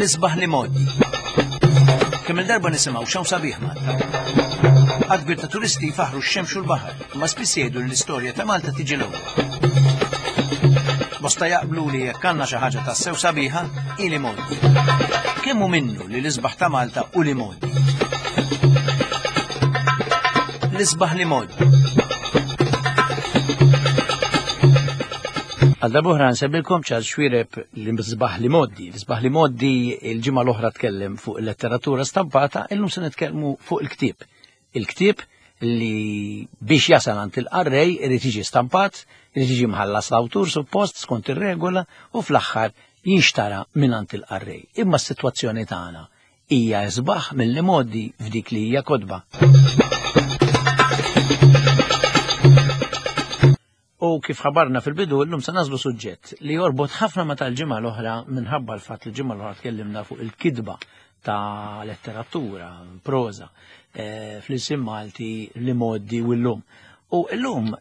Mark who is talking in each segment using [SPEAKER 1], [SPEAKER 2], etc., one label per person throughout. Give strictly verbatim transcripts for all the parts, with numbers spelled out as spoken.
[SPEAKER 1] L-isbaħ li modi. Kemm il-darba nisimgħu x'hawn sabiħ Malta. Għadd kbir ta' turisti jfaħru x-xemx u l-baħar, imma spiss jgħidu li l-istorja ta' Malta tiġi l-ewwel. Bosta jaqblu li jekk għandna xi ħaġa tassew sabiħa, hi li modi. Kemm hu minnu li l-isbaħ ta' Malta u li modi? L-isbaħ li modi. Għal darbohra nsembilkom Charles Xuereb l-isbaħ li moddi. L-isbaħ li moddi il-ġimgħa l-oħra tkellem fuq il-letteratura stampata, illum se nitkellmu fuq il-ktieb. Il-ktieb li biex jasal għand il-qarrej irid jiġi stampat, irid jiġi mħallas l-awtur suppost skont ir-regola u fl-aħħar jinxtara minn għand il-qarrej. Imma s-sitwazzjoni tagħna hija isbaħ mill-li moddi f'dik li hija kotba. U kif ħabarna fil-bidu, llum se nażlu suġġett li jorbot ħafna ma tal-ġimgħa l-oħra minħabba l-fatt li l-ġimgħa l-oħra tkellimna fuq il-kidba ta' letteratura, proża, eh, fl-isim Malti li moddi u llum. U llum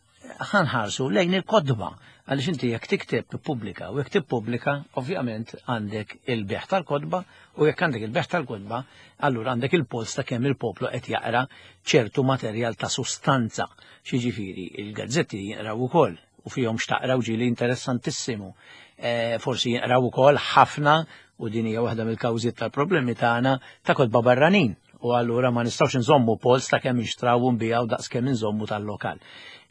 [SPEAKER 1] ħanħarsu lejn il-kotba, għaliex inti jekk tikteb tippubblika, u jekk tippubblika, ovvjament għandek il-beħ tal-kotba, u jekk għandek il-beħ tal-kotba, allura għandek il-post ta' kemm il-poplu qed jaqra ċertu materjal ta' sustanza. Xiġifieri, il-gazzetti jinqraw ukoll u fihom xtaqraw ġieli interessantissimu. Eh, forsi jinqraw ukoll ħafna, u din hija waħda mill-kawżiet tal-problemi tagħna, ta' kotba barranin. U allura ma nistgħux nżommu pols ta' kemm inxtraw u nbijaw daqs kemm inżommu tal-lokal.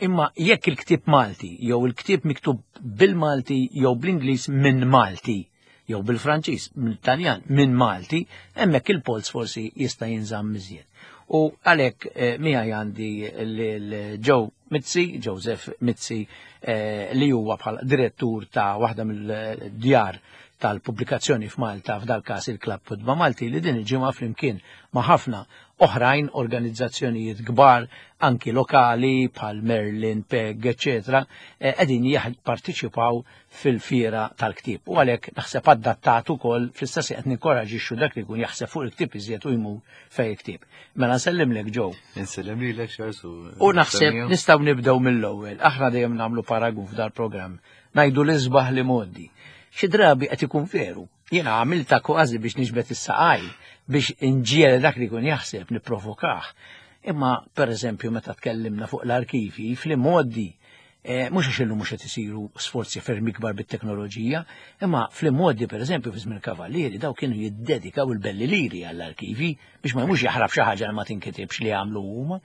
[SPEAKER 1] Imma jekk il-ktieb Malti jew il-ktieb miktub bil-Malti jew bl-Ingliż minn Malti jew bil-Franċiż, mill-Taljan minn Malti, hemmhekk il-pols forsi jista' jinżamm iżjed. U għalhekk, eh, miegħi għandi lil Joe Mizzi, Joseph Mizzi, eh, li huwa bħala direttur ta' waħda mill-djar tal-pubblikazzjoni f'Malta, f'dal każ il-Klabb Kotba Malti, li din il-ġimgħa flimkien ma' ħafna oħrajn organizzazzjonijiet kbar, anki lokali bħal Merlin, P E G, eċċetera, eh, qegħdin jipparteċipaw fil-fiera tal-ktieb. U għalhekk naħseb adattat ukoll fl-istess qed ninkoraġixxu dak li jkun jaħseb fuq il-ktieb iżjed u jmur fejn il-ktieb. Mela nsellimlek Joe.
[SPEAKER 2] Insellem lilek Charles u
[SPEAKER 1] U naħseb nistgħu nibdew mill-ewwel. Aħna dejjem nagħmlu paragun f'dal-programm. Ngħidu l-isbaħ li modi. Xi drabi qed ikun veru. Jiena għamilta kważi biex niġbed is-saqaj biex inġiel dak li jkun jaħseb nipprovokah. Imma per eżempju meta tkellimna fuq l-arkivi fl-modi, eh, mhux għax illum mhux qed isiru sforzi ferm ikbar bit-teknoloġija, imma fl-modi per eżempju fi żmien Kavallieri daw kienu jiddedikaw il-belli liri għall-arkivi biex ma jmux jaħrab xi ħaġa li ma tinkitibx li għamlu huma.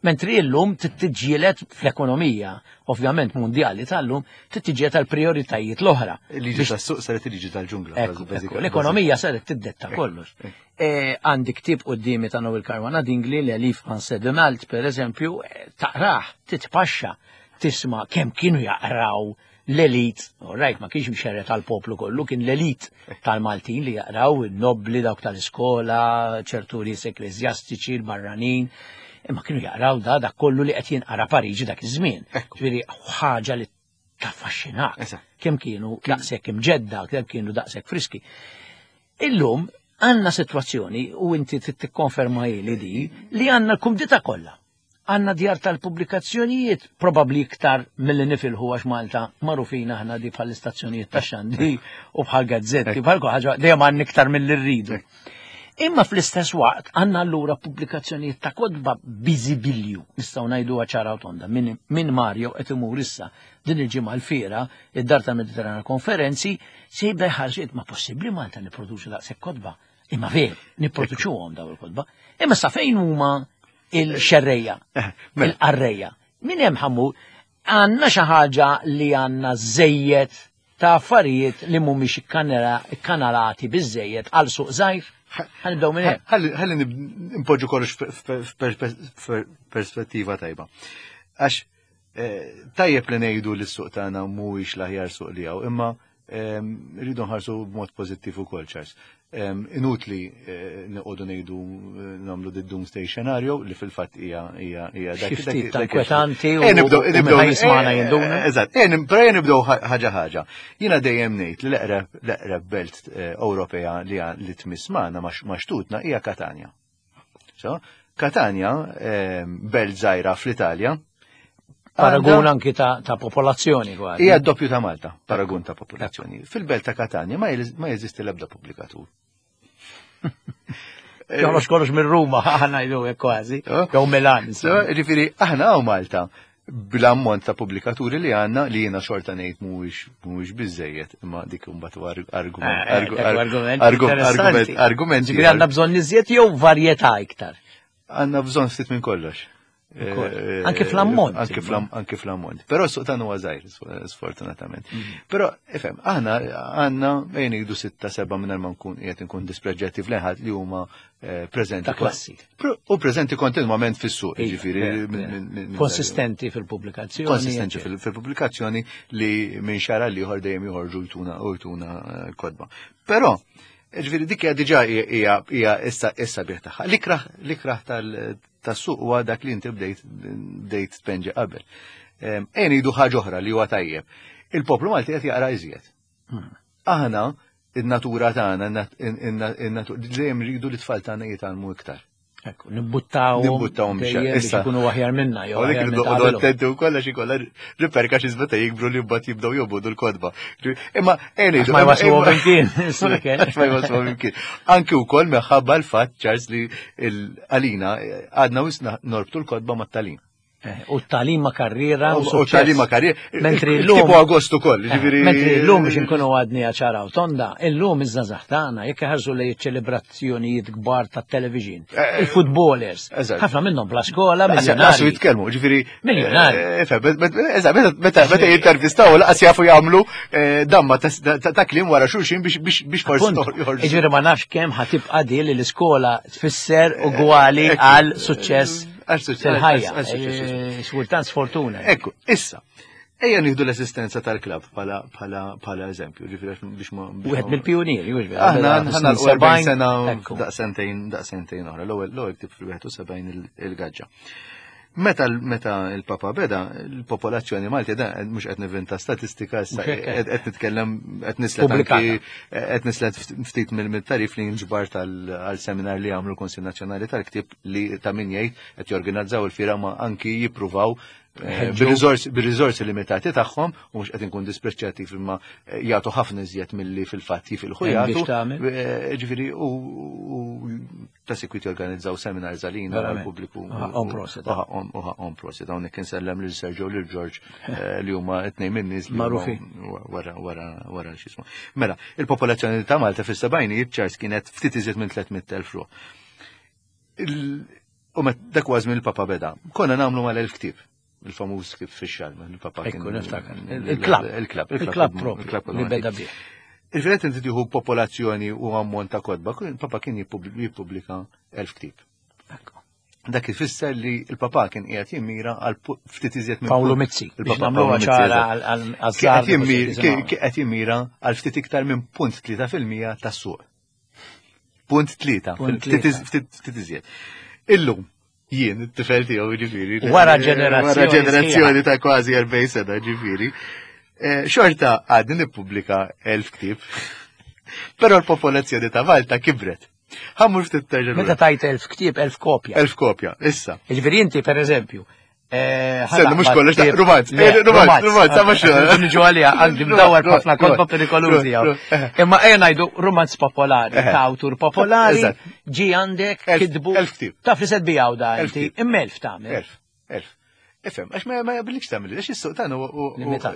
[SPEAKER 1] Mentri illum tittiġielet fl-ekonomija, ovvjament mondjali tal-lum, tittiġielet għal prioritajiet l-oħra.
[SPEAKER 2] Il-liġi tas-suq saret il-liġi tal-ġungla.
[SPEAKER 1] Ekku, ekku, l-ekonomija saret tiddetta kollox. E, għandi ktieb quddiemi ta' Noel Caruana Dingli, Le Français de Malte, per eżempju, eh, taqrah, titpaxxa, tisma' kemm kienu jaqraw l-elit, rajt ma kienx mxerred tal-poplu kollu, kien l-elit tal-Maltin li jaqraw, il-nobli, dawk tal-iskola, ċertu nies ekklesjastiċi, l-barranin, imma kienu jaqraw da dak kollu li qed jinqara Pariġi dak iż-żmien. Ġifieri ħaġa li taffaxxinak.
[SPEAKER 2] Eżatt.
[SPEAKER 1] Kemm kienu daqshekk imġedda, kemm kienu daqshekk friski. Illum għandna sitwazzjoni, u inti tikkonferma li di, li għandna l-kumdità kollha. Għandna djar tal-pubblikazzjonijiet, probabli iktar mill-li nifilħu għax Malta magħrufin aħna di bħal istazzjonijiet ta' xandi u bħal gazzetti, bħal ħaġa dejjem għandna iktar mill-li rridu. Imma fl-istess waqt għandna allura pubblikazzjonijiet ta' kotba biżibilju, nistgħu ngħidu ċara u tonda, min, min Mario qed imur issa din il-ġimgħa l-fiera, id-Dar tal-Mediterrana Konferenzi, se jibda jħarġiet ma possibbli Malta nipproduċu daqshekk kotba. Imma ver, nipproduċuhom daw il-kotba. Imma sa fejn huma il-xerreja,
[SPEAKER 2] mela.
[SPEAKER 1] il-qarreja? Min hemm ħammu għandna xi ħaġa li għandna żejjed ta' affarijiet li mhumiex ikkanalati biżejjed għal suq żgħir. Ħa nibdew minn hemm.
[SPEAKER 2] Ħalli ħalli nib- npoġġu kollox f'perspettiva tajba. Għax eh, tajjeb li ngħidu li s-suq tagħna mhuwiex l-aħjar suq li hawn, imma ehm, rridu nħarsu b'mod pożittiv ukoll, Charles. Ehm, Inutli eh, noqogħdu ngħidu eh, nagħmlu the doomsday scenario li fil-fatt hija hija hija dak
[SPEAKER 1] Xi ftit
[SPEAKER 2] dak-
[SPEAKER 1] ta'
[SPEAKER 2] dak-
[SPEAKER 1] inkwetanti u
[SPEAKER 2] Eh, nibdew-
[SPEAKER 1] u
[SPEAKER 2] nibdew-
[SPEAKER 1] minn jismana
[SPEAKER 2] eh,
[SPEAKER 1] jinduna.
[SPEAKER 2] Eżatt, eh, nib- però nibdew ħaġa ħaġa. Jiena dejjem ngħid li l-eqreb l-eqreb belt eh, Ewropea li li tmiss magħna ma' xtutna hija Katanja. So, Katanja, eh, belt żgħira fl-Italja.
[SPEAKER 1] Paragun
[SPEAKER 2] għandha-
[SPEAKER 1] anki ta' ta' popolazzjoni kważi.
[SPEAKER 2] Hija doppju ta' Malta, paragun ta' popolazzjoni. Fil-belt ta' Katanja ma jeż- ma jeżisti l-ebda pubblikatur.
[SPEAKER 1] Joħroġ kollox minn Ruma, aħna ngħidu hekk kważi, jew Milan.
[SPEAKER 2] Ġifieri aħna hawn Malta bl-ammont ta' pubblikaturi li għandna li jiena xorta ngħid mhuwiex mhuwiex biżejjed, imma dik imbagħad argument
[SPEAKER 1] argument argument. Ġifieri għandna bżonn iżjed jew varjetà iktar.
[SPEAKER 2] Għandna bżonn ftit minn kollox.
[SPEAKER 1] Anke fl-ammont.
[SPEAKER 2] Anke fl-ammont. Però s-suq tagħna huwa żgħir, sfortunatament. Però, ifhem, aħna għandna bejn ngħidu sitta seba' mingħajr ma nkun qiegħed inkun dispreġġettiv lejn li huma preżenti.
[SPEAKER 1] Ta' klassi.
[SPEAKER 2] U preżenti kontinwament fis-suq, jiġifieri.
[SPEAKER 1] Konsistenti fil-pubblikazzjoni.
[SPEAKER 2] Konsistenti fil-pubblikazzjoni li minn xahar għal ieħor dejjem joħorġu jtuna u jtuna kodba. Però, ġifieri dik hija diġà hija issa issa bih tagħha. L-ikrah l-ikrah tal tas-suq huwa dak li inti bdejt bdejt tpenġi qabel. Ejja ngħidu ħaġa oħra li huwa tajjeb. Il-poplu Malti qed jaqra iżjed. Aħna in-natura tagħna dejjem rridu li tfal tagħna jitgħallmu iktar.
[SPEAKER 1] Ekku, nibbuttawhom.
[SPEAKER 2] Nibbuttawhom
[SPEAKER 1] biex ikunu aħjar minna jew.
[SPEAKER 2] Għalhekk irridu attenti wkoll għax ikollha riperka xi meta jikbru li mbagħad jibdew jobogħdu l-kotba. Imma ejja ngħidu
[SPEAKER 1] ma jwasluhom imkien.
[SPEAKER 2] Ma jwasluhom imkien. Anki wkoll minħabba l-fatt Charles li għalina għadna wisna norbtu l-kotba mat-tagħlim.
[SPEAKER 1] U t-tagħlim ma' karriera
[SPEAKER 2] u t-tagħlim ma' karriera. Mentri llum tipu Agostu ukoll, ġifieri.
[SPEAKER 1] Mentri llum biex inkunu għadni ċara u tonda, illum iż-żgħażagħ tagħna jekk iħarsu lejn iċ-ċelebrazzjonijiet kbar tat-television, il-footballers, ħafna minnhom bla skola,
[SPEAKER 2] miljonari. Jitkellmu, ġifieri.
[SPEAKER 1] Miljonari.
[SPEAKER 2] Meta meta jintervistaw laqas jafu jagħmlu damma ta' kliem wara xulxin biex forsi
[SPEAKER 1] joħorġu. Ġifieri ma nafx kemm ħa tibqa' di li l-iskola tfisser ugwali għal suċċess fil-ħajja. Xkultant sfortuna.
[SPEAKER 2] Ekku, issa, ejja nieħdu l-esistenza tal-klabb bħala eżempju, ġifieri biex ma.
[SPEAKER 1] Wieħed mill-pijunieri, mhux
[SPEAKER 2] vera. Aħna ħana erbgħin sena daqsentejn daqsentejn oħra, l-ewwel l-ewwel ktib fil-wieħed u sebgħin il-gaġġa. Meta meta il-Papa beda, il-popolazzjoni Malti da mhux qed nivvinta statistika issa qed nitkellem qed nislet anki qed nislet ftit mill-tarif li nġbar tal-seminar li għamlu l-Kunsill Nazzjonali tal-Ktieb li ta' min jgħid qed jorganizzaw il-fira ma anki jippruvaw bir-riżorsi limitati tagħhom u mhux qed inkun dispreċċjattiv imma jagħtu ħafna iżjed milli fil-fatt jifilħu jagħtu. Ġifieri u ta' sikwit jorganizzaw seminars għalina għall-pubbliku.
[SPEAKER 1] Ħaqhom prosit.
[SPEAKER 2] U ħaqhom prosit. Hawnhekk insellem lil Sergio lil George li huma tnejn min-nies li
[SPEAKER 1] magħrufin
[SPEAKER 2] wara wara wara x'ismu. Mela, il-popolazzjoni ta' Malta fis-sebgħinijiet Charles kienet ftit iżjed minn tliet mitt elf ruħ. U dak huwa żmien il-Papa beda. Konna nagħmlu mal-elf ktieb. Il-famuż kif fix-xahar, il-Papa
[SPEAKER 1] kien. Ekku, niftakar. Il-klabb.
[SPEAKER 2] Il-klabb.
[SPEAKER 1] Il-klabb propju li beda bih.
[SPEAKER 2] Il-firet inti tieħu popolazzjoni u ammont ta' kotba, il-Papa kien jippubblika elf ktieb. Dak ifisser li l-Papa kien qiegħed jimmira għal ftit iżjed minn
[SPEAKER 1] Paolo Mizzi.
[SPEAKER 2] Il-Papa qed jimmira għal ftit iktar minn punt tlieta fil-mija tas-suq. Punt tlieta, ftit iżjed. Illum jien it-tifel tiegħu ġifieri.
[SPEAKER 1] Wara ġenerazzjoni.
[SPEAKER 2] Wara ġenerazzjoni ta' kważi erbgħin sena ġifieri. Xorta għadni nippubblika elf ktieb, però l-popolazzjoni ta' Malta kibret. Ħammur ftit terġa'.
[SPEAKER 1] Meta tajt elf ktieb, elf kopja.
[SPEAKER 2] Elf kopja, issa.
[SPEAKER 1] Jiġifieri inti pereżempju.
[SPEAKER 2] Senna, mhux kollox, rumanz, rumanz, rumanz, sa mhux.
[SPEAKER 1] Niġu għalija, għandi mdawar ħafna kotba perikolużi hawn. Imma ejja ngħidu rumanz popolari, ta' awtur popolari, ġi għandek kitbu.
[SPEAKER 2] Elf ktieb.
[SPEAKER 1] Taf li se tbijaw da inti, imma elf tagħmel.
[SPEAKER 2] Elf, elf. Ifhem, għax ma jaqbillikx tagħmel, għax is-suq tagħna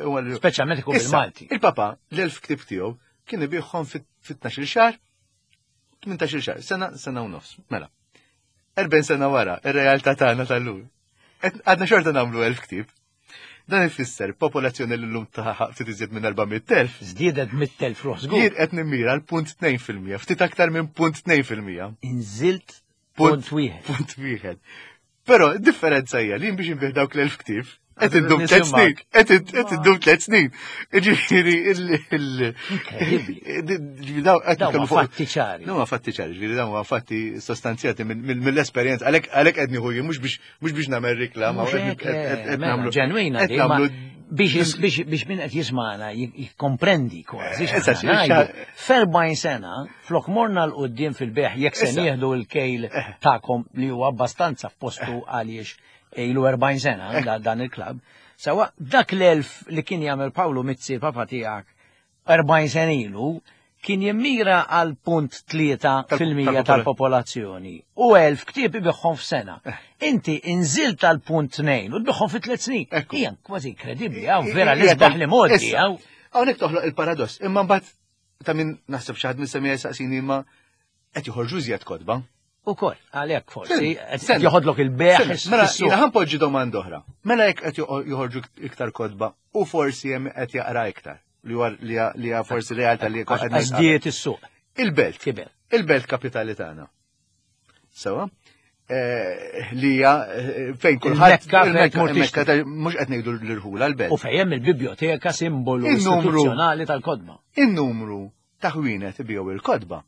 [SPEAKER 1] huwa speċjalment ikun bil-Malti.
[SPEAKER 2] Il-Papa l-elf ktieb tiegħu kien ibiħhom fit-tnax-il xahar, tmintax-il xahar, sena, sena u nofs. Mela. erbgħin sena wara, ir-realtà tagħna tal-lum. Għadna xorta nagħmlu elf ktieb. Dan ifisser popolazzjoni li llum taħaq ftit iżjed minn erba' mitt elf.
[SPEAKER 1] Żdiedet mitt elf ruħ żgur.
[SPEAKER 2] Jien qed nimmira l punt tnejn fil-mija, ftit aktar minn punt tnejn fil-mija.
[SPEAKER 1] Inżilt punt wieħed.
[SPEAKER 2] Punt wieħed. Però d-differenza hija li biex inbih dawk l-elf ktieb, qed indum tliet snin, qed indum tliet snin. Ġifieri il
[SPEAKER 1] Inkredibbli. Dawn huma fatti ċari.
[SPEAKER 2] Dawn huma fatti ċari, ġifieri dawn huma fatti sostanzjati mill-esperjenza. Għalhekk għalhekk qed nieħu jien mhux biex mhux biex nagħmel riklama, qed nagħmlu
[SPEAKER 1] ġenwina biex biex min qed jismagħna jikkomprendi kważi. F'erbgħin sena flok morna l quddiem fil-beħ jekk se nieħdu l-kejl tagħkom li huwa abbastanza f'postu għaliex ilu erbgħin sena dan il-klabb. Sawa dak l-elf li kien jagħmel Paolo Mizzi papa tiegħek erbgħin sena ilu, Kien jimmira għal punt tlieta
[SPEAKER 2] Tal-
[SPEAKER 1] fil-mija
[SPEAKER 2] tal-popolazzjoni.
[SPEAKER 1] tal-popolazzjoni u elf ktieb ibiħħom f'sena. Inti inżilt għal punt tnejn u tbiħħom fi tliet snin.
[SPEAKER 2] Ekku.
[SPEAKER 1] Hija kważi inkredibbli, hawn vera
[SPEAKER 2] Hija
[SPEAKER 1] l-isbaħ li modi,
[SPEAKER 2] Issa,
[SPEAKER 1] hawn.
[SPEAKER 2] Hawnhekk toħloq il-paradoss, imma mbagħad ta' min naħseb xi ħadd minn saqsini imma qed joħorġu iżjed kotba.
[SPEAKER 1] Ukoll, għalhekk forsi, qed
[SPEAKER 2] Sen-
[SPEAKER 1] joħodlok il-beħ
[SPEAKER 2] Sen, Mela,
[SPEAKER 1] fis-suq.
[SPEAKER 2] jiena ħa npoġġi domanda oħra. Mela jekk qed joħ- joħorġu iktar kotba u forsi hemm qed jaqra iktar. Li huwa li hija- li hija forsi realtà li qed
[SPEAKER 1] Għax żdiet is-suq.
[SPEAKER 2] Il-belt.
[SPEAKER 1] Kiber.
[SPEAKER 2] Il-belt kapitali tagħna. Sewa? Eh, Li hija eh, fejn kulħadd
[SPEAKER 1] Il-Mekka fejn
[SPEAKER 2] il-Mekka-
[SPEAKER 1] tmur
[SPEAKER 2] il-Mekka
[SPEAKER 1] tixtri.
[SPEAKER 2] ta' mhux qed ngħidu l-irħula l-belt.
[SPEAKER 1] U fejn il-biblioteka simbolu
[SPEAKER 2] Il-numru.
[SPEAKER 1] istituzzjonali tal-kodba.
[SPEAKER 2] In-numru ta' ħwienet ibiegħu il-kotba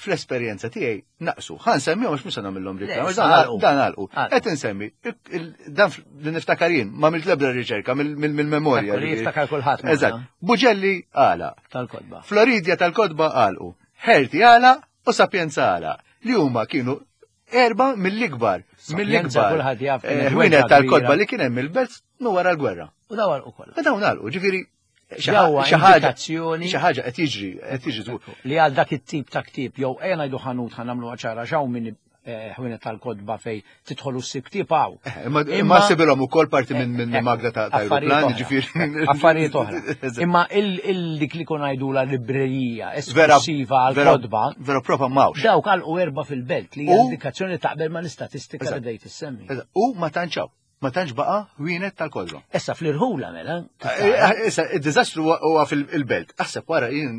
[SPEAKER 2] fl-esperjenza tiegħi naqsu. Ħa nsemmihom mhux se nagħmilhom reklam,
[SPEAKER 1] Le,
[SPEAKER 2] dan
[SPEAKER 1] għalqu.
[SPEAKER 2] dan għalqu.
[SPEAKER 1] Għalqu.
[SPEAKER 2] Qed insemmi il- dan li niftakar jien, ma għamilt l-ebda riċerka mill-memorja.
[SPEAKER 1] Ekku li jiftakar kulħadd magħna.
[SPEAKER 2] Eżatt. Buġelli għala.
[SPEAKER 1] Tal-kodba.
[SPEAKER 2] Floridia tal-kotba għalqu. Herti għala u Sapienza għala. Li huma kienu erba mill-ikbar.
[SPEAKER 1] Sapienza
[SPEAKER 2] Mill-ikbar.
[SPEAKER 1] kulħadd jaf kienet
[SPEAKER 2] eh,
[SPEAKER 1] weġġa
[SPEAKER 2] Ħwienet tal-kotba
[SPEAKER 1] kbira.
[SPEAKER 2] li kien hemm il-belt nu wara l-gwerra.
[SPEAKER 1] U daw għalqu kollha.
[SPEAKER 2] Ma dawn għalqu, ġifieri xi
[SPEAKER 1] Dawwa
[SPEAKER 2] xi ħaġa
[SPEAKER 1] indikazzjoni
[SPEAKER 2] xi ħaġa qed jiġri, qed jiġri żgur.
[SPEAKER 1] li għal dak it-tip ta' ktieb jew ejja ngħidu ħanut ħa nagħmlu ċara x'hawn minn eh, ħwienet tal-kotba fej tidħol u ssib ktieb hawn.
[SPEAKER 2] Eh, Imma imma sibilhom ukoll parti minn minn
[SPEAKER 1] Eh,
[SPEAKER 2] magna ta' ta'
[SPEAKER 1] affarijiet
[SPEAKER 2] aeroplan,
[SPEAKER 1] oħra.
[SPEAKER 2] ġifieri.
[SPEAKER 1] Affarijiet oħra.
[SPEAKER 2] Eżatt.
[SPEAKER 1] Imma il dik li kun ngħidu la librerija
[SPEAKER 2] Vera
[SPEAKER 1] esklusiva għal
[SPEAKER 2] vera-
[SPEAKER 1] kotba
[SPEAKER 2] Vera propa m'hawnx.
[SPEAKER 1] dawk għalqu erba' fil-belt li hija
[SPEAKER 2] U-
[SPEAKER 1] indikazzjoni taqbel ma l-istatistika li
[SPEAKER 2] Eżatt.
[SPEAKER 1] bdejt issemmi.
[SPEAKER 2] Eżatt. U ma tantx hawn, ma tantx baqa' ħwienet tal-kotba.
[SPEAKER 1] Issa fl-irħula mela.
[SPEAKER 2] Eh, Issa, id-diżastru huwa- huwa fil-belt. Aħseb wara jien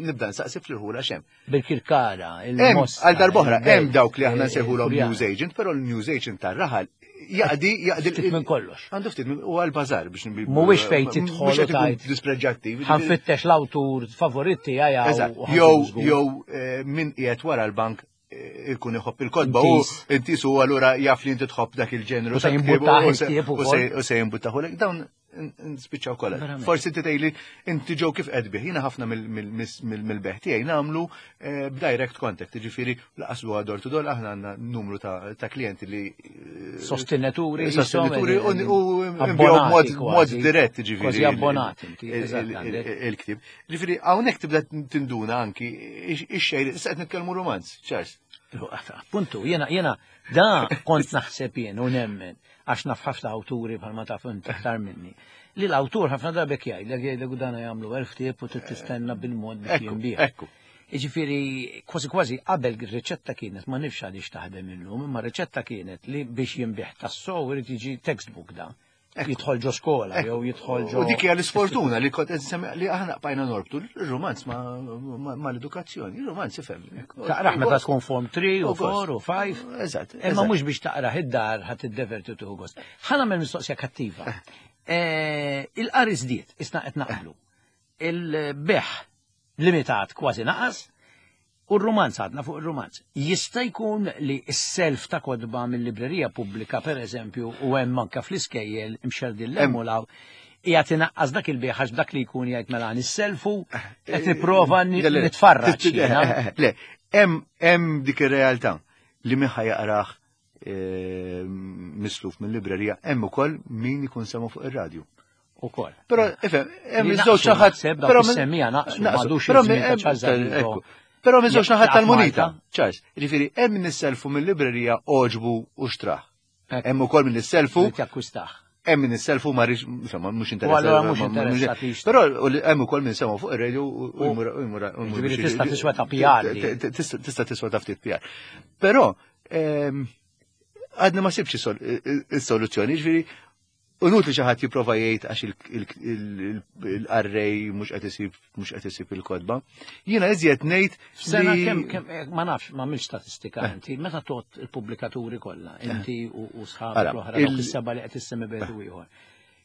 [SPEAKER 2] nibda nsaqsi fl-irħula x'hemm.
[SPEAKER 1] Bil-Kirkara,
[SPEAKER 2] Hemm
[SPEAKER 1] il-Mosta.
[SPEAKER 2] għal darb'oħra, hemm
[SPEAKER 1] il-Belt,
[SPEAKER 2] dawk li aħna
[SPEAKER 1] eh,
[SPEAKER 2] nsejħulhom
[SPEAKER 1] il-Furjana.
[SPEAKER 2] news agent, però l-news agent tar-raħal jaqdi jaqdi
[SPEAKER 1] Ftit minn kollox.
[SPEAKER 2] Għandu ftit minn u għal-bażar biex nbi-
[SPEAKER 1] Mhuwiex fejn tidħol
[SPEAKER 2] mhux qed
[SPEAKER 1] u
[SPEAKER 2] ikun
[SPEAKER 1] tgħid.
[SPEAKER 2] dispreġġattiv.
[SPEAKER 1] Ħa nfittex l-awtur favorit tiegħi
[SPEAKER 2] Eżatt,
[SPEAKER 1] u
[SPEAKER 2] jew jew eh, min qiegħed wara l-bank eh, ikun iħobb il-kotba u
[SPEAKER 1] Intis.
[SPEAKER 2] intis u allura jaf li inti tħobb dak il-ġenru.
[SPEAKER 1] U se
[SPEAKER 2] ta' ktieb
[SPEAKER 1] jimbuttah
[SPEAKER 2] u se-
[SPEAKER 1] il-ktieb
[SPEAKER 2] u
[SPEAKER 1] ukoll.
[SPEAKER 2] se- U se jimbuttahulek. Dawn n- nispiċċaw kollha.
[SPEAKER 1] Verament.
[SPEAKER 2] Forsi inti tgħidli inti ġew kif qed bih. Jiena ħafna mill- mill- mill- mill-beħ tiegħi nagħmlu eh, b'direct contact, jiġifieri laqas huwa door to door aħna għandna numru ta' ta' klijenti li eh,
[SPEAKER 1] Sostenituri,
[SPEAKER 2] sostenituri u
[SPEAKER 1] jisom,
[SPEAKER 2] u
[SPEAKER 1] abbonati
[SPEAKER 2] nbigħu b'mod
[SPEAKER 1] kważi.
[SPEAKER 2] mod dirett ġifieri.
[SPEAKER 1] Kważi abbonati inti,
[SPEAKER 2] il-
[SPEAKER 1] eżatt,
[SPEAKER 2] il-
[SPEAKER 1] għandek.
[SPEAKER 2] il- il-ktib. Ġifieri hawnhekk tibda tinduna anki ix-xejn, issa qed nitkellmu romanz, Charles.
[SPEAKER 1] Appuntu, jena, jena, da kont naħseb jien u nemmen, għax naf ħafna awturi bħalma taf inti aktar minni. Li l-awtur ħafna drabi jgħidlek jgħidlek u dana jagħmlu elf ktieb u trid tistenna bil-mod biex
[SPEAKER 2] Ekku,
[SPEAKER 1] jinbigħ.
[SPEAKER 2] ekku.
[SPEAKER 1] Jiġifieri, kważi kważi qabel ir-riċetta kienet, ma nifx għaliex taħdem illum, imma riċetta kienet li biex jinbigħ tas-sow irid jiġi textbook da. Jidħol ġo skola, jew jidħol ġo.
[SPEAKER 2] U dik hija l-isfortuna li kont qed nsemmi li aħna bqajna norbtu l-romanz ma, ma, ma l-edukazzjoni, il-romanz ifhem.
[SPEAKER 1] Taqraħ meta tkun form three u
[SPEAKER 2] U gost.
[SPEAKER 1] four u five.
[SPEAKER 2] Eżatt.
[SPEAKER 1] Imma
[SPEAKER 2] eżatt.
[SPEAKER 1] mhux biex taqraħ id-dar ħadd tiddeverti tieħu gost. Ħa nagħmel mistoqsija kattiva. Eh, Il-qari żdied, isna qed naqblu. Il-beħ limitat kważi naqas u r-romanz għadna fuq ir-romanz. Jista' jkun li s-self ta' kotba mill-librerija pubblika per eżempju u hemm anke fl-iskejjel imxerdin
[SPEAKER 2] Hemm.
[SPEAKER 1] l qiegħed inaqqas dak il-beħ għax dak li jkun jgħid mela nisselfu qed nipprova
[SPEAKER 2] Le, le, le.
[SPEAKER 1] nitfarraġ jiena.
[SPEAKER 2] Le, hemm hemm dik ir-realtà li min ħa jaqrah eh, misluf mill-librerija, hemm ukoll min ikun sema fuq ir-radju.
[SPEAKER 1] Ukoll.
[SPEAKER 2] Però, ifhem, hemm
[SPEAKER 1] Li
[SPEAKER 2] iż-żewġ
[SPEAKER 1] naqsu
[SPEAKER 2] naħat.
[SPEAKER 1] naħseb, dawk
[SPEAKER 2] però min-
[SPEAKER 1] is-semmija naqsu, m'għadux
[SPEAKER 2] Però
[SPEAKER 1] iż-żmien
[SPEAKER 2] min-
[SPEAKER 1] ta'
[SPEAKER 2] hemm-
[SPEAKER 1] Charles Zafiro.
[SPEAKER 2] ekku. Però minn żewġ naħat
[SPEAKER 1] Jaqtaf
[SPEAKER 2] tal-munita.
[SPEAKER 1] Malta.
[SPEAKER 2] Charles, jiġifieri hemm min isselfu mill-librerija oġbu u xtrah.
[SPEAKER 1] Ekku.
[SPEAKER 2] Hemm ukoll min isselfu,
[SPEAKER 1] Li takkwistaħ.
[SPEAKER 2] hemm min isselfu ma rix, insomma, mhux
[SPEAKER 1] U allura
[SPEAKER 2] interessat.
[SPEAKER 1] mhux
[SPEAKER 2] ma- ma-
[SPEAKER 1] interessat li jixtri.
[SPEAKER 2] Però u li- hemm ukoll min semgħu fuq ir-radio u u jmur u jmur u jmur
[SPEAKER 1] Ġifieri
[SPEAKER 2] biex-
[SPEAKER 1] tista' tiswa ta' P R li.
[SPEAKER 2] T- Tista' tista' tiswa ta' ftit P R. Però ehm, għadna ma sibx is-soluzzjoni, ġifieri inutli xi ħadd jipprova jgħid għax il-qarrej mhux qed isib mhux qed isib il-kotba. Jiena iżjed ngħid
[SPEAKER 1] F'sena
[SPEAKER 2] li-
[SPEAKER 1] kemm kemm eh, ma nafx ma għamilx statistika inti, meta tot il-pubblikaturi kollha, inti u u sħabek
[SPEAKER 2] Ara,
[SPEAKER 1] l-oħra dawk
[SPEAKER 2] il-
[SPEAKER 1] is-seba' li qed issemmi bejn u ieħor.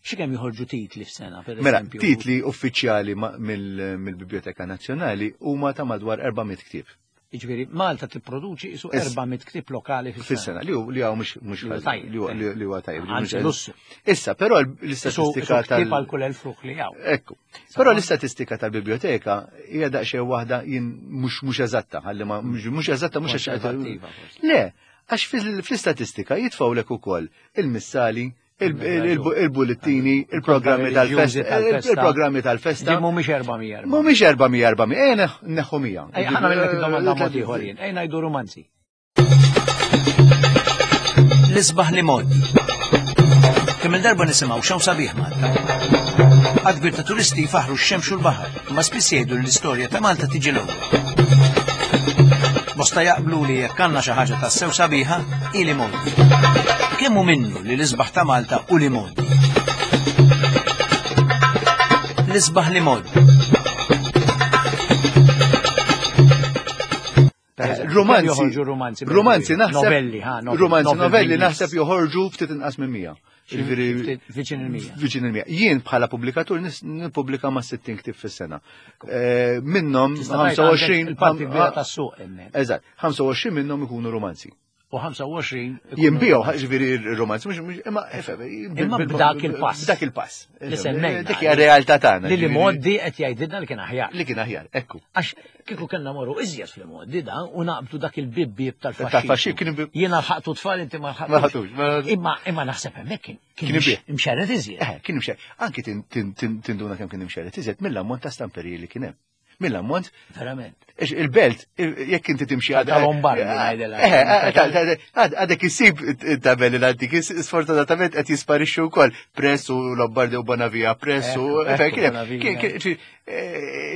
[SPEAKER 1] Xi kemm joħorġu titli f'sena, per
[SPEAKER 2] Mela,
[SPEAKER 1] eżempju?
[SPEAKER 2] titli uffiċjali ma- mill- mill-Biblioteka Nazzjonali huma ta' madwar erba' mitt ktieb
[SPEAKER 1] Jiġifieri Malta tipproduċi isu
[SPEAKER 2] Is-
[SPEAKER 1] erba' mitt ktieb lokali fis-sena.
[SPEAKER 2] fis-sena li hu li hawn mhux mhux
[SPEAKER 1] Li huwa
[SPEAKER 2] ħażin,
[SPEAKER 1] tajjeb,
[SPEAKER 2] li huwa- li li huwa tajjeb. li
[SPEAKER 1] Anzi,
[SPEAKER 2] mhux-
[SPEAKER 1] lussu.
[SPEAKER 2] Issa, però
[SPEAKER 1] Isu
[SPEAKER 2] l-istatistika
[SPEAKER 1] isu ktieb
[SPEAKER 2] tal-
[SPEAKER 1] għal kull elf ruħ li hawn.
[SPEAKER 2] Ekku. Però l-istatistika tal-biblioteka hija daqsxejn waħda jien mhux mhux eżatta, ħalli ma mhux mhux eżatta mhux għax
[SPEAKER 1] Konservattiva, forsi.
[SPEAKER 2] Le, għax fil- fl-istatistika jitfgħulek ukoll il-missali, Il-bullettini, il-programmi tal-festa, il-programmi tal-festa.
[SPEAKER 1] Mhumiex erba' mija.
[SPEAKER 2] Mhumiex erba' mija erba' mija, ejja neħħu mija.
[SPEAKER 1] Ejja ħa nagħmellek id-domanda mod ieħor jien, ejja ngħidu rumanzi. L-isbaħ li mod. Kemm il-darba nisimgħu x'hawn sabiħ Malta. Għadd kbir ta' turisti jfaħru x-xemx u l-baħar, imma spiss jgħidu li l-istorja ta' Malta tiġi l-ewwel. Bosta jaqblu li jekk għandna xi ħaġa tassew sabiħa, hi l-imgħoddi. Kemm hu minnu li l-isbaħ ta' Malta u l-imgħoddi? L-isbaħ l-imgħoddi.
[SPEAKER 2] Romanzi,
[SPEAKER 1] romanzi,
[SPEAKER 2] romanzi naħseb,
[SPEAKER 1] novelli, ha,
[SPEAKER 2] romanzi, novelli naħseb joħorġu ftit inqas minn mija.
[SPEAKER 1] Viċin il-mija.
[SPEAKER 2] Viċin il-mija. Jien bħala pubblikatur nippubblika ma' sittin ktieb fis-sena. Minnhom ħamsa u għoxrin
[SPEAKER 1] il-parti kbira tas-suq hemmhekk.
[SPEAKER 2] Eżatt, ħamsa u għoxrin minnhom ikunu romanzi.
[SPEAKER 1] U ħamsa u għoxrin
[SPEAKER 2] jinbiegħu, ġifieri romanzi, mhux imma
[SPEAKER 1] imma b'dak il-pass.
[SPEAKER 2] B'dak il-pass.
[SPEAKER 1] Li semmejna.
[SPEAKER 2] Dik hija realtà tagħna.
[SPEAKER 1] Li l-imgħoddi qed jgħidilna li kien aħjar.
[SPEAKER 2] Li kien aħjar, ekku.
[SPEAKER 1] Għax kieku kellna morru iżjed fl-imgħoddi da u naqbdu dak il-bib tal-faxxi.
[SPEAKER 2] Tal-faxxi kien
[SPEAKER 1] Jiena lħaqtu tfal inti ma lħaqtux. Imma imma naħseb hemmhekk kien imxerred iżjed.
[SPEAKER 2] Eh, kien imxerred. Anki tinduna kemm kien imxerred iżjed mill-ammont ta' stamperiji li kien hemm. Mill-ammont.
[SPEAKER 1] Verament.
[SPEAKER 2] Il-belt, jekk inti timxi
[SPEAKER 1] għad. Tal-Lombardi ngħidilha.
[SPEAKER 2] Għadek isib it-tabelli l-antiki, sfortunatament qed jisparixxu wkoll. Press u Lombardi u Bonavia, Press u.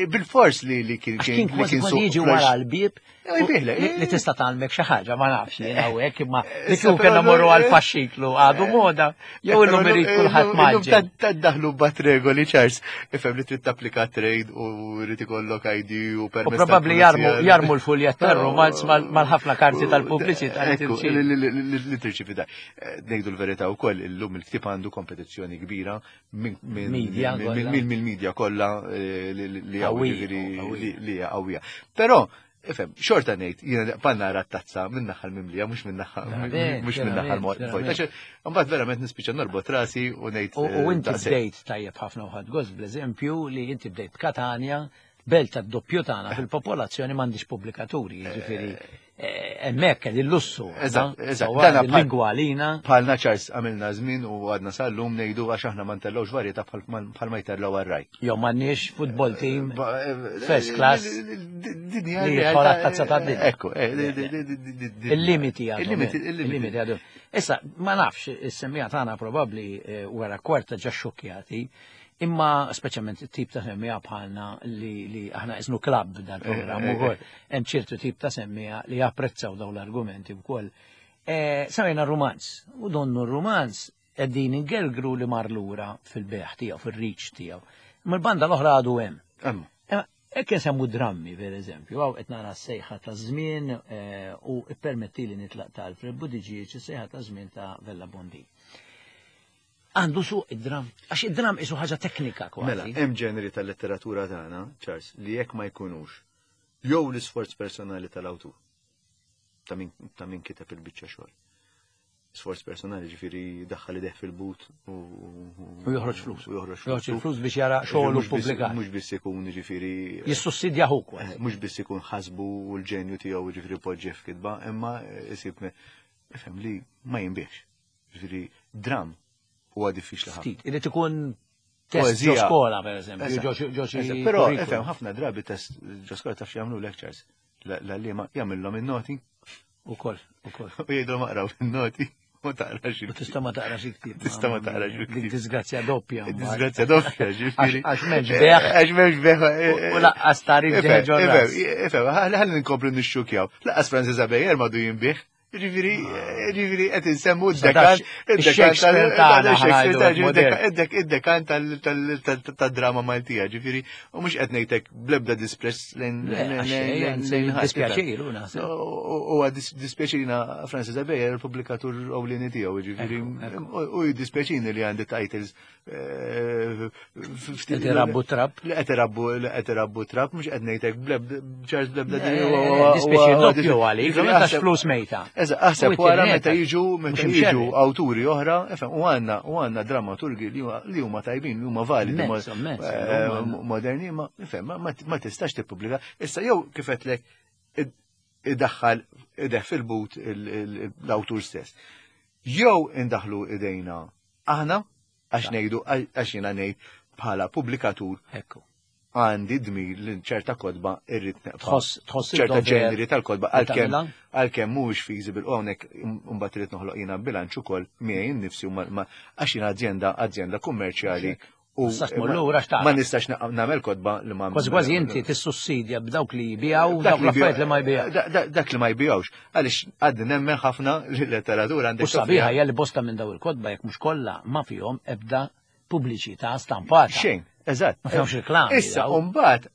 [SPEAKER 2] Bil-fors li kien
[SPEAKER 1] kien kważi jiġi wara l-bieb li tista' tgħallmek xi ħaġa, ma nafx jien hawnhekk, imma li kieku kellna morru għal faxxiklu għadu moda, jew illum irid kulħadd maġġel.
[SPEAKER 2] Taddaħlu bat regoli, Charles, ifhem li trid tapplika trade u rrid ikollok I D u permess.
[SPEAKER 1] U probabbli jarmu l-fuljett tar-romanz mal-ħafna karti tal-pubbliċità
[SPEAKER 2] li tirċivi da. Ngħidu l-verità wkoll illum il-ktieb għandu kompetizzjoni kbira mill-media kollha li li hija qawwija. Però ifhem, xorta ngħid, jiena panna nara t-tazza minn naħa l-mimlija, mhux minn naħa mhux minn naħa l-vojta. Imbagħad verament nispiċċa norbot rasi u ngħid.
[SPEAKER 1] U inti bdejt tajjeb ħafna u ħadd gost bl-eżempju li inti bdejt Katanja, belt tad-doppju tagħna fil-popolazzjoni m'għandix pubblikaturi, jiġifieri hemmhekk qed il-lussu.
[SPEAKER 2] Eżatt, eżatt.
[SPEAKER 1] Lingwa għalina.
[SPEAKER 2] Bħalna Charles għamilna żmien u għadna sal-lum ngħidu għax aħna ma ntellgħux varjetà bħal ma jtellgħu għar-raj.
[SPEAKER 1] Jew m'għandniex football team first class
[SPEAKER 2] li
[SPEAKER 1] jidħol għat-tazza tad-dinja.
[SPEAKER 2] Ekku,
[SPEAKER 1] il-limiti għadhom. Il-limiti għadhom. Issa, ma nafx, is-semmija tagħna probabbli wara kwarta ġa xokjati. Imma speċjalment it-tip ta' semmija bħalna li aħna isnu klabb dal-programm ukoll, hemm ċertu tip ta' semmija li japprezzaw dawn l-argumenti wkoll. Semmejna romanz, u donnu r-romanz qegħdin ingergru li mar lura fil-beħ tiegħu, fir-riċ tiegħu. Imma l-banda l-oħra għadu hemm. Hekk insemmu drammi, per eżempju, hawn qed nara s-sejħa ta' żmien u ippermettili nitlaq ta' Alfred Buttigieg, is-sejħa ta' żmien ta' Vella Bondi. Għandu suq id-dram, għax id-dram isu ħaġa teknika kważi.
[SPEAKER 2] Mela, hemm ġeneri tal-letteratura tagħna, Charles, li jekk ma jkunux jew l-isforz personali tal-awtur ta' min ta' min kiteb il-biċċa xogħol. Sforz personali ġifieri daħħal ideh fil-but u
[SPEAKER 1] u joħroġ flus.
[SPEAKER 2] U joħroġ
[SPEAKER 1] flus. Flus biex jara xogħol pubblikat.
[SPEAKER 2] Mhux biss ikun ġifieri
[SPEAKER 1] jissussidja hu kważi.
[SPEAKER 2] Mhux biss ikun ħasbu u l-ġenju tiegħu ġifieri poġġi f'kitba, imma isib ifhem li ma jinbiex. Ġifieri dram huwa diffiċli ħafna.
[SPEAKER 1] Ftit, irid ikun test ġo skola, per eżempju, ġo xi.
[SPEAKER 2] Però ifhem ħafna drabi test ġo skola taf x'jagħmlu lectures. L-għalliema jagħmilhom in-noti.
[SPEAKER 1] Ukoll, ukoll.
[SPEAKER 2] U jgħidulhom aqraw in-noti u taqra xi.
[SPEAKER 1] U tista' ma taqrax il-ktieb.
[SPEAKER 2] Tista' ma taqrax il-ktieb.
[SPEAKER 1] Dik disgrazzja doppja.
[SPEAKER 2] Disgrazzja doppja, ġifieri.
[SPEAKER 1] Għax m'hemmx beħ.
[SPEAKER 2] Għax m'hemmx beħ.
[SPEAKER 1] U laqqas tarif ġeħ ġo.
[SPEAKER 2] Ifhem, ħalli nkomplu nixxukjaw. Laqqas Francis Abejer m'għadu jinbih. Ġifieri, ġifieri qed insemmu d-dekan, id-dekan, id-dekan tad-drama Maltija, ġifieri, u mhux qed ngħidlek bl-ebda dispress lejn
[SPEAKER 1] dispjaċir, u naħseb.
[SPEAKER 2] Huwa dispjaċina Francis Abejer, il-pubblikatur ewlieni tiegħu, ġifieri, u jiddispjaċini li għandi titles
[SPEAKER 1] qed irabbu trab.
[SPEAKER 2] Li qed irabbu, li qed irabbu trab, mhux qed ngħidlek Charles bl-ebda.
[SPEAKER 1] Dispjaċir doppju għalik, għax flus mejta.
[SPEAKER 2] Aħseb wara meta jiġu meta jiġu awturi oħra, ifhem, u għandna u għandna dramaturgi li huma tajbin, li huma validi, moderni, ma ifhem, ma tistax tippubblika. Issa jew kif qedlek idaħħal ideh fil-but l-awtur stess. Jew indaħlu idejna Aħna għax ngħidu għax jiena ngħid bħala pubblikatur
[SPEAKER 1] Ekku.
[SPEAKER 2] għandi dmir li ċerta kotba irrid neqpa'.
[SPEAKER 1] Tħoss tħoss
[SPEAKER 2] ċerta
[SPEAKER 1] id-dover
[SPEAKER 2] ġeneri tal-kotba
[SPEAKER 1] li
[SPEAKER 2] għalkemm
[SPEAKER 1] tagħmilha?
[SPEAKER 2] għalkemm mhuwiex feasible u hawnhekk imbagħad irid noħloq jiena bilanċ ukoll miegħi nnifsi u ma- ma- għax jiena azienda azienda kummerċjali u
[SPEAKER 1] Tistax tmur lura x'taqra.
[SPEAKER 2] ma nistax na- nagħmel kotba li ma
[SPEAKER 1] Kważi kważi inti tissussidja b'dawk li jbijaw,
[SPEAKER 2] Dak
[SPEAKER 1] dawk
[SPEAKER 2] li
[SPEAKER 1] l-affarijiet li ma jbijaw.
[SPEAKER 2] Da- da- Dak li ma jbijawx. Għaliex għadni nemmen ħafna li l-letteratura għandek
[SPEAKER 1] U sabiħa hija li bosta minn daw il-kotba jekk mhux kollha ma fihom ebda pubbliċità stampata.
[SPEAKER 2] Xejn, eżatt.
[SPEAKER 1] Ma fihomx reklami
[SPEAKER 2] Issa,
[SPEAKER 1] daw.
[SPEAKER 2] mbagħad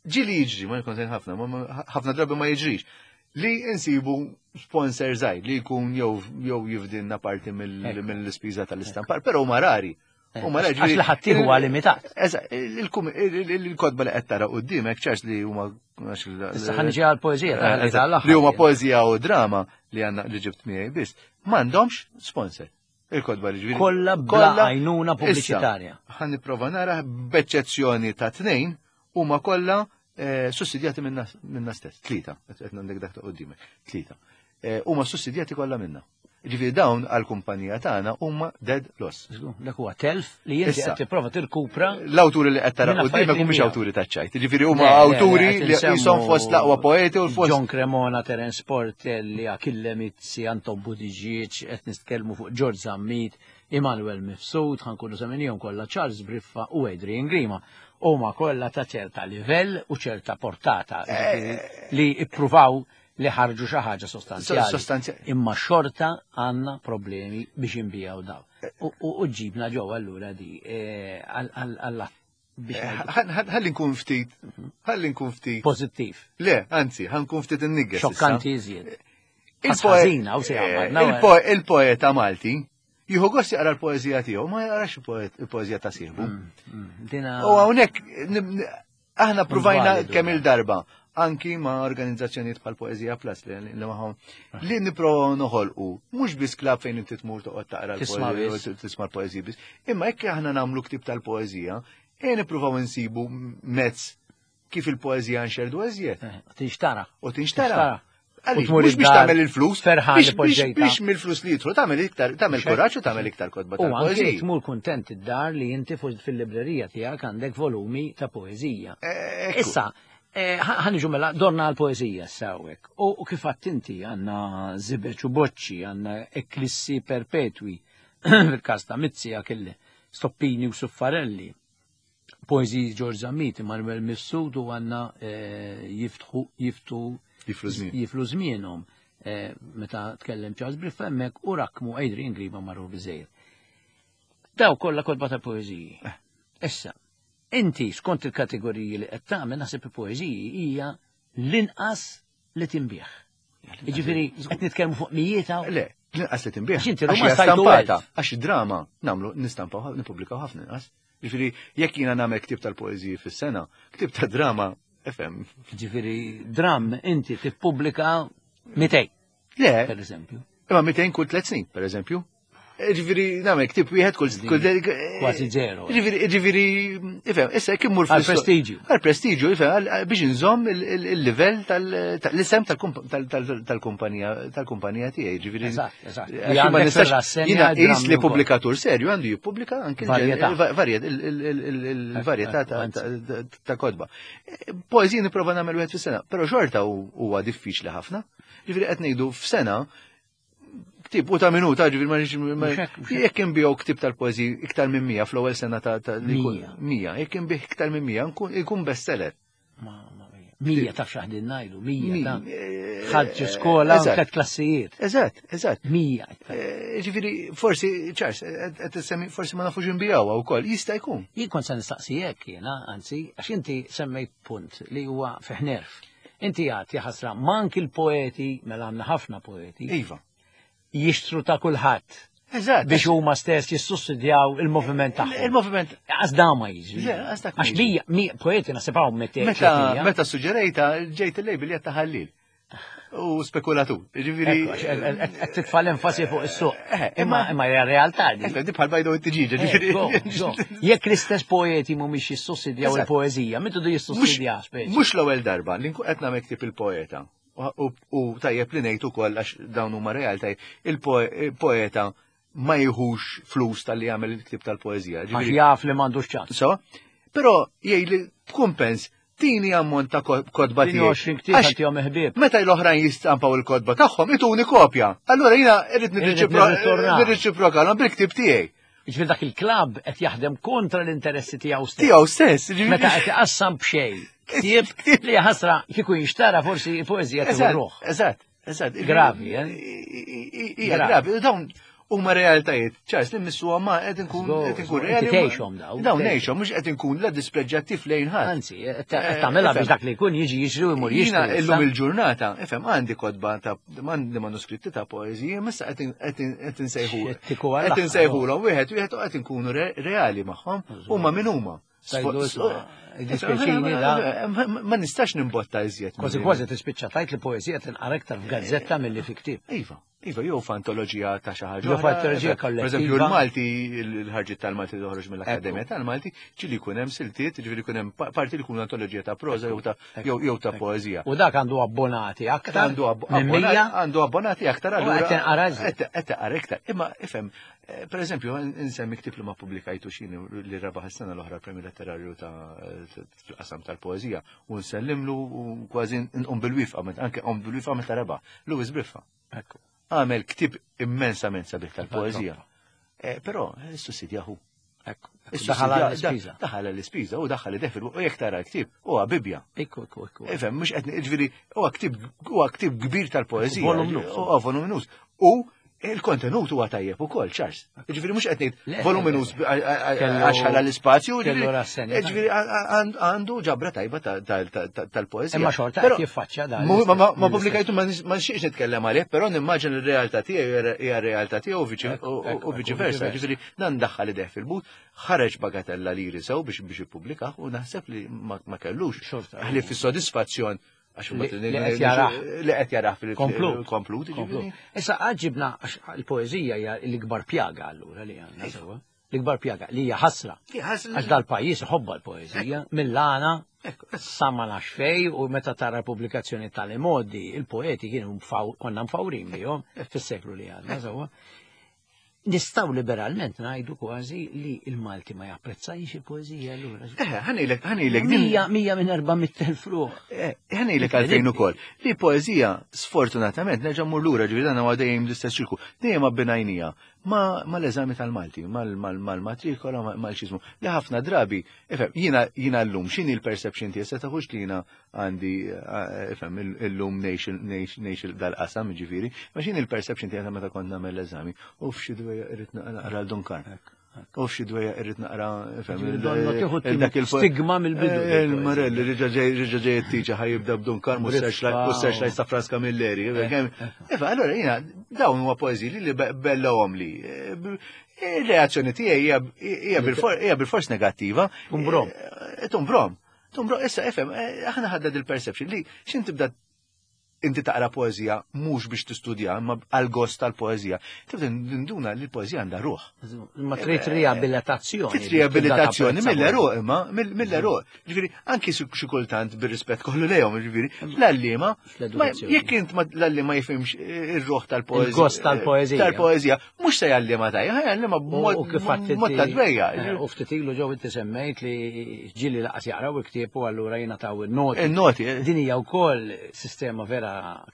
[SPEAKER 2] ġieli jiġri, ma jkun sejn ħafna, ma- ma- ħafna drabi ma jiġrix, li insibu sponsor żgħir li jkun jew jew jifdinna parti mill-
[SPEAKER 1] Ekku.
[SPEAKER 2] mill-ispiża tal-istampar, però huma rari. Huma rari.
[SPEAKER 1] Għax li ħaddieħor huwa limitat.
[SPEAKER 2] Eżatt, il-kum- il- il- il-kotba li qed tara qudiemek ċars li huma għax il-
[SPEAKER 1] Issa ħa niġi għal-poeżija ta'
[SPEAKER 2] Eżatt,
[SPEAKER 1] tal-aħħar.
[SPEAKER 2] li huma poeżija u drama li għandna li ġibt miegħi biss, m'għandhomx sponsor. Il-kotba li ġifieri.
[SPEAKER 1] Kollha bla għajnuna pubbliċitarja.
[SPEAKER 2] Issa, ħa nipprova nara b'eċċezzjoni ta' tnejn huma kollha eh, sussidjati minna, minna stess. Tlieta, qed għandek dak ta' qudiemek. Tlieta. Eh, Huma sussidjati kollha minna. Ġifieri dawn għall-kumpanija tagħna huma dead loss.
[SPEAKER 1] Żgur, Dak huwa telf li inti
[SPEAKER 2] Issa.
[SPEAKER 1] qed tipprova tirkupra
[SPEAKER 2] L-awturi li qed tara
[SPEAKER 1] Minn affarijiet
[SPEAKER 2] qudiemek
[SPEAKER 1] li
[SPEAKER 2] mhumiex
[SPEAKER 1] nbijaw.
[SPEAKER 2] awturi taċ-ċajt. Ġifieri huma
[SPEAKER 1] Le, le, le,
[SPEAKER 2] awturi
[SPEAKER 1] qed
[SPEAKER 2] li
[SPEAKER 1] insemmu
[SPEAKER 2] jisom fost l-aqwa poeti u fost
[SPEAKER 1] John Cremona, Terence Portelli, Achille Mizzi, Anton Buttigieg, qed nitkellmu fuq George Zammit, Immanuel Mifsud, ħa nkunu semmejnihom kollha Charles Briffa u Adrian Grima. Huma kollha ta' ċerta livell u ċerta portata ġifieri li ippruvaw li ħarġu xi ħaġa sostanzjali.
[SPEAKER 2] Sostanzjali.
[SPEAKER 1] Imma xorta għandna problemi biex inbijaw daw. U- U u ġibna ġewwa allura di eh, għal- għal għal- biex ngħidu
[SPEAKER 2] Ħalli nkun ftit, ħalli nkun ftit.
[SPEAKER 1] pożittiv.
[SPEAKER 2] Le, anzi, ħa nkun ftit in-niggas. issa.
[SPEAKER 1] Xokkanti iżjed.
[SPEAKER 2] Il-poe-
[SPEAKER 1] Ħażina, u se għamad,
[SPEAKER 2] eh, il-po- Il-poeta Malti jieħu gost jaqra l-poeżija tiegħu, ma jaqrax il-poet- il-poeżija ta' sieħbu.
[SPEAKER 1] Mm, Dina.
[SPEAKER 2] U hawnhekk nib- n- aħna provajna
[SPEAKER 1] Validu,
[SPEAKER 2] kemm
[SPEAKER 1] da.
[SPEAKER 2] il-darba anki ma' organizzazzjonijiet bħal Poeżija Plus li li magħhom li nipprovaw noħolqu mhux biss klab fejn inti tmur toqgħod taqra
[SPEAKER 1] Tisma'
[SPEAKER 2] l-poeżija
[SPEAKER 1] biss.
[SPEAKER 2] u tisma' l-poeżija biss, imma jekk aħna nagħmlu ktib tal-poeżija, e nippruvaw insibu mezz kif il-poeżija nxerdu eżjed
[SPEAKER 1] Eh, Tinxtara.
[SPEAKER 2] u tinxtara.
[SPEAKER 1] U
[SPEAKER 2] Għaliex,
[SPEAKER 1] tmur
[SPEAKER 2] mhux biex
[SPEAKER 1] id-dar
[SPEAKER 2] tagħmel il-flus,
[SPEAKER 1] ferħan
[SPEAKER 2] biex,
[SPEAKER 1] li
[SPEAKER 2] biex,
[SPEAKER 1] poġġejta.
[SPEAKER 2] biex mill-flus li jidħlu tagħmel iktar, tagħmel
[SPEAKER 1] Mhux
[SPEAKER 2] kuraġġ u tagħmel iktar kotba
[SPEAKER 1] U anke
[SPEAKER 2] tal-poeżija.
[SPEAKER 1] tmur kuntent id-dar li inti fuq fil-librerija tiegħek għandek volumi ta' poeżija.
[SPEAKER 2] Eh, ekku.
[SPEAKER 1] Issa, eh, ħa ħa niġu mela dorna għal-poeżija sawek. U u kif għedt inti għandna żibeġ u boċċi, għandna eklissi perpetwi, fil-każ ta' Mizzi Achille, Stoppini u Suffarelli, poeżiji George Zammit, Manuel Mifsud u għandna eh, jiftħu jiftu
[SPEAKER 2] Jiflu żmien.
[SPEAKER 1] jiflu żmienhom. Eh, Meta tkellem Charles Briffa hemmhekk u rakmu Adrian Grima marru biżejjed. Daw kollha kotba ta' poeżiji. Issa, inti skont il-kategoriji li qed tagħmel naħseb il-poeżiji hija l-inqas li tinbih. Jiġifieri qed nitkellmu fuq mijiet hawn.
[SPEAKER 2] Le, l-inqas li tinbih.
[SPEAKER 1] Għax inti
[SPEAKER 2] Għax
[SPEAKER 1] Ruma
[SPEAKER 2] hija
[SPEAKER 1] stajtu
[SPEAKER 2] stampata.
[SPEAKER 1] elf.
[SPEAKER 2] Għax drama nagħmlu nistampaw nippubblikaw ħafna inqas. Ġifieri jekk jiena nagħmel ktib tal-poeżiji fis-sena, ktib ta' drama FM.
[SPEAKER 1] Ġifieri dram inti tippubblika mitejn,
[SPEAKER 2] Le,
[SPEAKER 1] per eżempju.
[SPEAKER 2] imma mitejn kull tliet snin, per eżempju. Ġifieri nagħmel ktib wieħed kull kull
[SPEAKER 1] Kważi zero.
[SPEAKER 2] Ġifieri ġifieri ifhem, issa jekk immur
[SPEAKER 1] Għal
[SPEAKER 2] fl-isto-
[SPEAKER 1] prestiġju.
[SPEAKER 2] Għal prestiġju, ifhem, għal- biex inżomm il- il- il-livell tal-isem tal-kumpanija tal-kumpanija tiegħi, ġifieri.
[SPEAKER 1] Eżatt, eżatt.
[SPEAKER 2] Għax
[SPEAKER 1] Li
[SPEAKER 2] ma
[SPEAKER 1] għandek
[SPEAKER 2] nistax-
[SPEAKER 1] fir-rassenja
[SPEAKER 2] Jiena
[SPEAKER 1] drammi
[SPEAKER 2] qis li
[SPEAKER 1] wkoll.
[SPEAKER 2] pubblikatur serju għandu jippubblika anke il-ġen-
[SPEAKER 1] Varjetà.
[SPEAKER 2] il- varjet- il- il- il- il- il-varjetà ta'
[SPEAKER 1] Anzi.
[SPEAKER 2] ta- ta' kotba. Poeżija nipprova nagħmel wieħed fis-sena, però xorta hu- huwa diffiċli ħafna. Ġifieri qed ngħidu f'sena ktib u ta' minuta, ġifieri ma nix- ma-
[SPEAKER 1] Mhux hekk, mhux hekk.
[SPEAKER 2] jekk inbiegħu ktib tal-poeżiji iktar minn mija fl-ewwel sena ta' ta' li jkun-
[SPEAKER 1] Mija.
[SPEAKER 2] mija, jekk inbih iktar minn mija nkun- ikun bestseller.
[SPEAKER 1] Ma, ma, mija taf x'aħdin ngħidu, mija ta'
[SPEAKER 2] Eh,
[SPEAKER 1] ħadd skola u
[SPEAKER 2] eżatt.
[SPEAKER 1] tliet klassijiet.
[SPEAKER 2] Eżatt, eżatt.
[SPEAKER 1] Mija.
[SPEAKER 2] Eh, Ġifieri, forsi, Charles, qed tissemmi forsi ma nafux inbijawha wkoll, jista' jkun.
[SPEAKER 1] Jien kont se nistaqsijek jiena, anzi, għax inti semmejt punt li huwa fih nerf. Inti għad jaħasra mank il-poeti, mela għandna ħafna poeti,
[SPEAKER 2] Iva.
[SPEAKER 1] jixtru ta' kulħadd
[SPEAKER 2] Eżatt.
[SPEAKER 1] biex huma stess jissussidjaw il-moviment tagħhom.
[SPEAKER 2] Il-moviment
[SPEAKER 1] Għax da ma jiġri.
[SPEAKER 2] Le, għax dak ma
[SPEAKER 1] Għax
[SPEAKER 2] jiġri.
[SPEAKER 1] mija, mija poeti naħseb hawn meta
[SPEAKER 2] Meta meta suġġerejta ġejt il-label jgħid ħallil. U spekulatur. Ġifieri.
[SPEAKER 1] Qed titfa' l-enfasi fuq is-suq.
[SPEAKER 2] Eh,
[SPEAKER 1] Imma imma hija realtà di.
[SPEAKER 2] Eh, di bħal bajda u t-tiġiġa,
[SPEAKER 1] Eh,
[SPEAKER 2] ġifieri.
[SPEAKER 1] go, go. Jekk l-istess poeti mhumiex jissussidjaw
[SPEAKER 2] Eżatt.
[SPEAKER 1] il-poeżija, min du jissussidja speċi.
[SPEAKER 2] Mhux l-ewwel darba li nkun qed nagħmel ktib il-poeta. U- U u tajjeb li ngħid ukoll għax dawn huma realtà il-poeta ma jieħux flus tal-li jagħmel il-ktieb tal-poeżija.
[SPEAKER 1] Għax jaf li m'għandux ċans.
[SPEAKER 2] So, però jgħidli b'kumpens tini ammont ta' kotba
[SPEAKER 1] tiegħi. għoxrin ktieb għantihom ħbieb.
[SPEAKER 2] Meta l-oħrajn jistampaw il-kotba tagħhom ituni kopja. Allura jiena irrid nirriċiprokalhom bil-ktieb tiegħi.
[SPEAKER 1] Jiġifieri dak il-klabb qed jaħdem kontra l-interessi tiegħu stess.
[SPEAKER 2] Tiegħu stess.
[SPEAKER 1] Meta qed iqassam b'xejn. Ktieb li ħasra kieku jinxtara forsi poeżija tieħu ruħ.
[SPEAKER 2] Eżatt, eżatt.
[SPEAKER 1] Gravi, eh?
[SPEAKER 2] Hija gravi. Dawn huma realtajiet. Charles, li missuha ma qed inkun qed inkun reali.
[SPEAKER 1] Tgħixhom dawn.
[SPEAKER 2] Dawn ngħixhom, mhux qed inkun la dispreġġattiv lejn ħadd.
[SPEAKER 1] Anzi, qed tagħmilha biex dak li jkun jiġi jixri u jmur jixtri.
[SPEAKER 2] Illum il-ġurnata, ifhem għandi kotba ta' għandi manuskritti ta' poeżiji, issa qed insejħu. Qed insejħulhom wieħed wieħed u qed inkunu reali magħhom huma min huma. Ma nistax nimbotta iżjed.
[SPEAKER 1] Kważi kważi tispiċċa tajt li poeżija tinqara iktar f'gazzetta milli fi ktieb.
[SPEAKER 2] Iva, iva, jew f'antoloġija ta' xi ħaġa.
[SPEAKER 1] Jew f'antoloġija kollettiva.
[SPEAKER 2] Pereżempju l-Malti, l-ħarġiet tal-Malti toħroġ mill-Akkademja tal-Malti, ġieli jkun hemm siltiet, ġieli jkun hemm parti li jkun antoloġija ta' proża jew ta' poeżija.
[SPEAKER 1] U dak għandu abbonati aktar.
[SPEAKER 2] Għandu abbonati aktar
[SPEAKER 1] allura. Qed tinqara iżjed.
[SPEAKER 2] Qed tinqara iktar. Imma ifhem, per eżempju, insemmi ktieb li ma pubblikajtu xini li rebaħ is-sena l-oħra premju letterarju ta' fil-qasam tal-poeżija u nsellimlu u kważi nqum bil-wifqa, anke nqum bil-wifqa meta rebaħ. Louis Briffa.
[SPEAKER 1] Ekku.
[SPEAKER 2] Għamel ktieb immensament sabiħ tal-poeżija. Però issussidjahu.
[SPEAKER 1] Ekku. Daħal l-ispiża.
[SPEAKER 2] Daħal l-ispiża u daħal ideh fil- u jekk tara l-ktieb huwa Bibbja.
[SPEAKER 1] Ekku, ekku, ekku.
[SPEAKER 2] Ifhem, mhux qed jiġifieri huwa ktieb huwa ktieb kbir tal-poeżija.
[SPEAKER 1] Voluminus.
[SPEAKER 2] Huwa voluminus. U il-kontenut huwa tajjeb ukoll, Charles. Jiġifieri mhux qed ngħid voluminus għax ħala l-ispazju, jiġifieri għandu ġabra tajba tal-poeżija.
[SPEAKER 1] Imma xorta qed jiffaċċja dan.
[SPEAKER 2] Ma pubblikajtu ma nixtieqx nitkellem għalih, però nimmaġina r-realtà tiegħu hija r-realtà tiegħu u viċi versa. Jiġifieri dan daħħal ideh fil-but, ħareġ bagatella liri sew biex biex ippubblikah u naħseb li ma kellux. Ħlief fis-sodisfazzjon
[SPEAKER 1] li qed jarah
[SPEAKER 2] li qed jarah fil-komplut.
[SPEAKER 1] Issa għaġibna għax il-poeżija hija l-ikbar pjaga allura li għandna sewwa. L-ikbar pjaga li hija ħasra. Għax dal-pajjiż iħobba l-poeżija mill-għana sa ma nafx fej u meta tara pubblikazzjoni tal-imodi il-poeti kienu konna mfawrin bihom fis-seklu li għandna sewwa. Nistaw liberalment ngħidu kważi li il-Malti ma japprezzajx il-poeżija allura.
[SPEAKER 2] Eh, ħanilek, ħanilek din.
[SPEAKER 1] Mija, mija minn erba' mitt elf ruħ.
[SPEAKER 2] Eh, ħanilek għalfejn ukoll. Li poeżija sfortunatament nerġa' mmur lura ġifieri dan huwa dejjem l-istess ċirku. Dejjem abbinajnija ma mal-eżami tal-Malti, mal-matrikola, mal-xiżmu. Li ħafna drabi, ifhem, jiena jiena llum x'inhi l-perception tiegħi se taħux li jiena għandi ifhem illum ngħix dal-qasam ġifieri, ma x'inhi l-perception tiegħi meta kont nagħmel l-eżami. U f'xi dwejja irrid naqra l-Dun Karm. U f'xi dwejja irrid naqra
[SPEAKER 1] dak il-stigma mill-bidu.
[SPEAKER 2] Il-Marelli riġa ġej it-tiġa ħajibda b'Dun Karm u s-searchlight ta' Frans Camilleri. Iva, allura jiena dawn huma poeżiji li bellahom li. Ir-reazzjoni tiegħi hija bil-fors negattiva.
[SPEAKER 1] Tumbrom.
[SPEAKER 2] Tumbrom. Tumbrom, issa ifhem, aħna ħadna dil-perception li x'in tibda inti taqra poeżija mhux biex tistudja, imma għal gost tal-poeżija. Tibda nduna li l-poeżija għandha ruħ.
[SPEAKER 1] Ma trid riabilitazzjoni.
[SPEAKER 2] Trid riabilitazzjoni mill-eruq imma, mill-eruq. Ġifieri anki xi kultant bir-rispett kollu lejhom, ġifieri, l-għalliema, jekk int l-għalliema jifhimx ir-ruħ tal-poeżija.
[SPEAKER 1] Il-gost tal-poeżija.
[SPEAKER 2] Tal-poeżija, mhux se jgħalliema tajja, ħajgħalliema b'mod ta' dwejja.
[SPEAKER 1] U ftit ilu ġew inti semmejt li ġieli laqas jaqraw il-ktieb u allura jingħataw in-noti.
[SPEAKER 2] In-noti.
[SPEAKER 1] Din hija wkoll sistema vera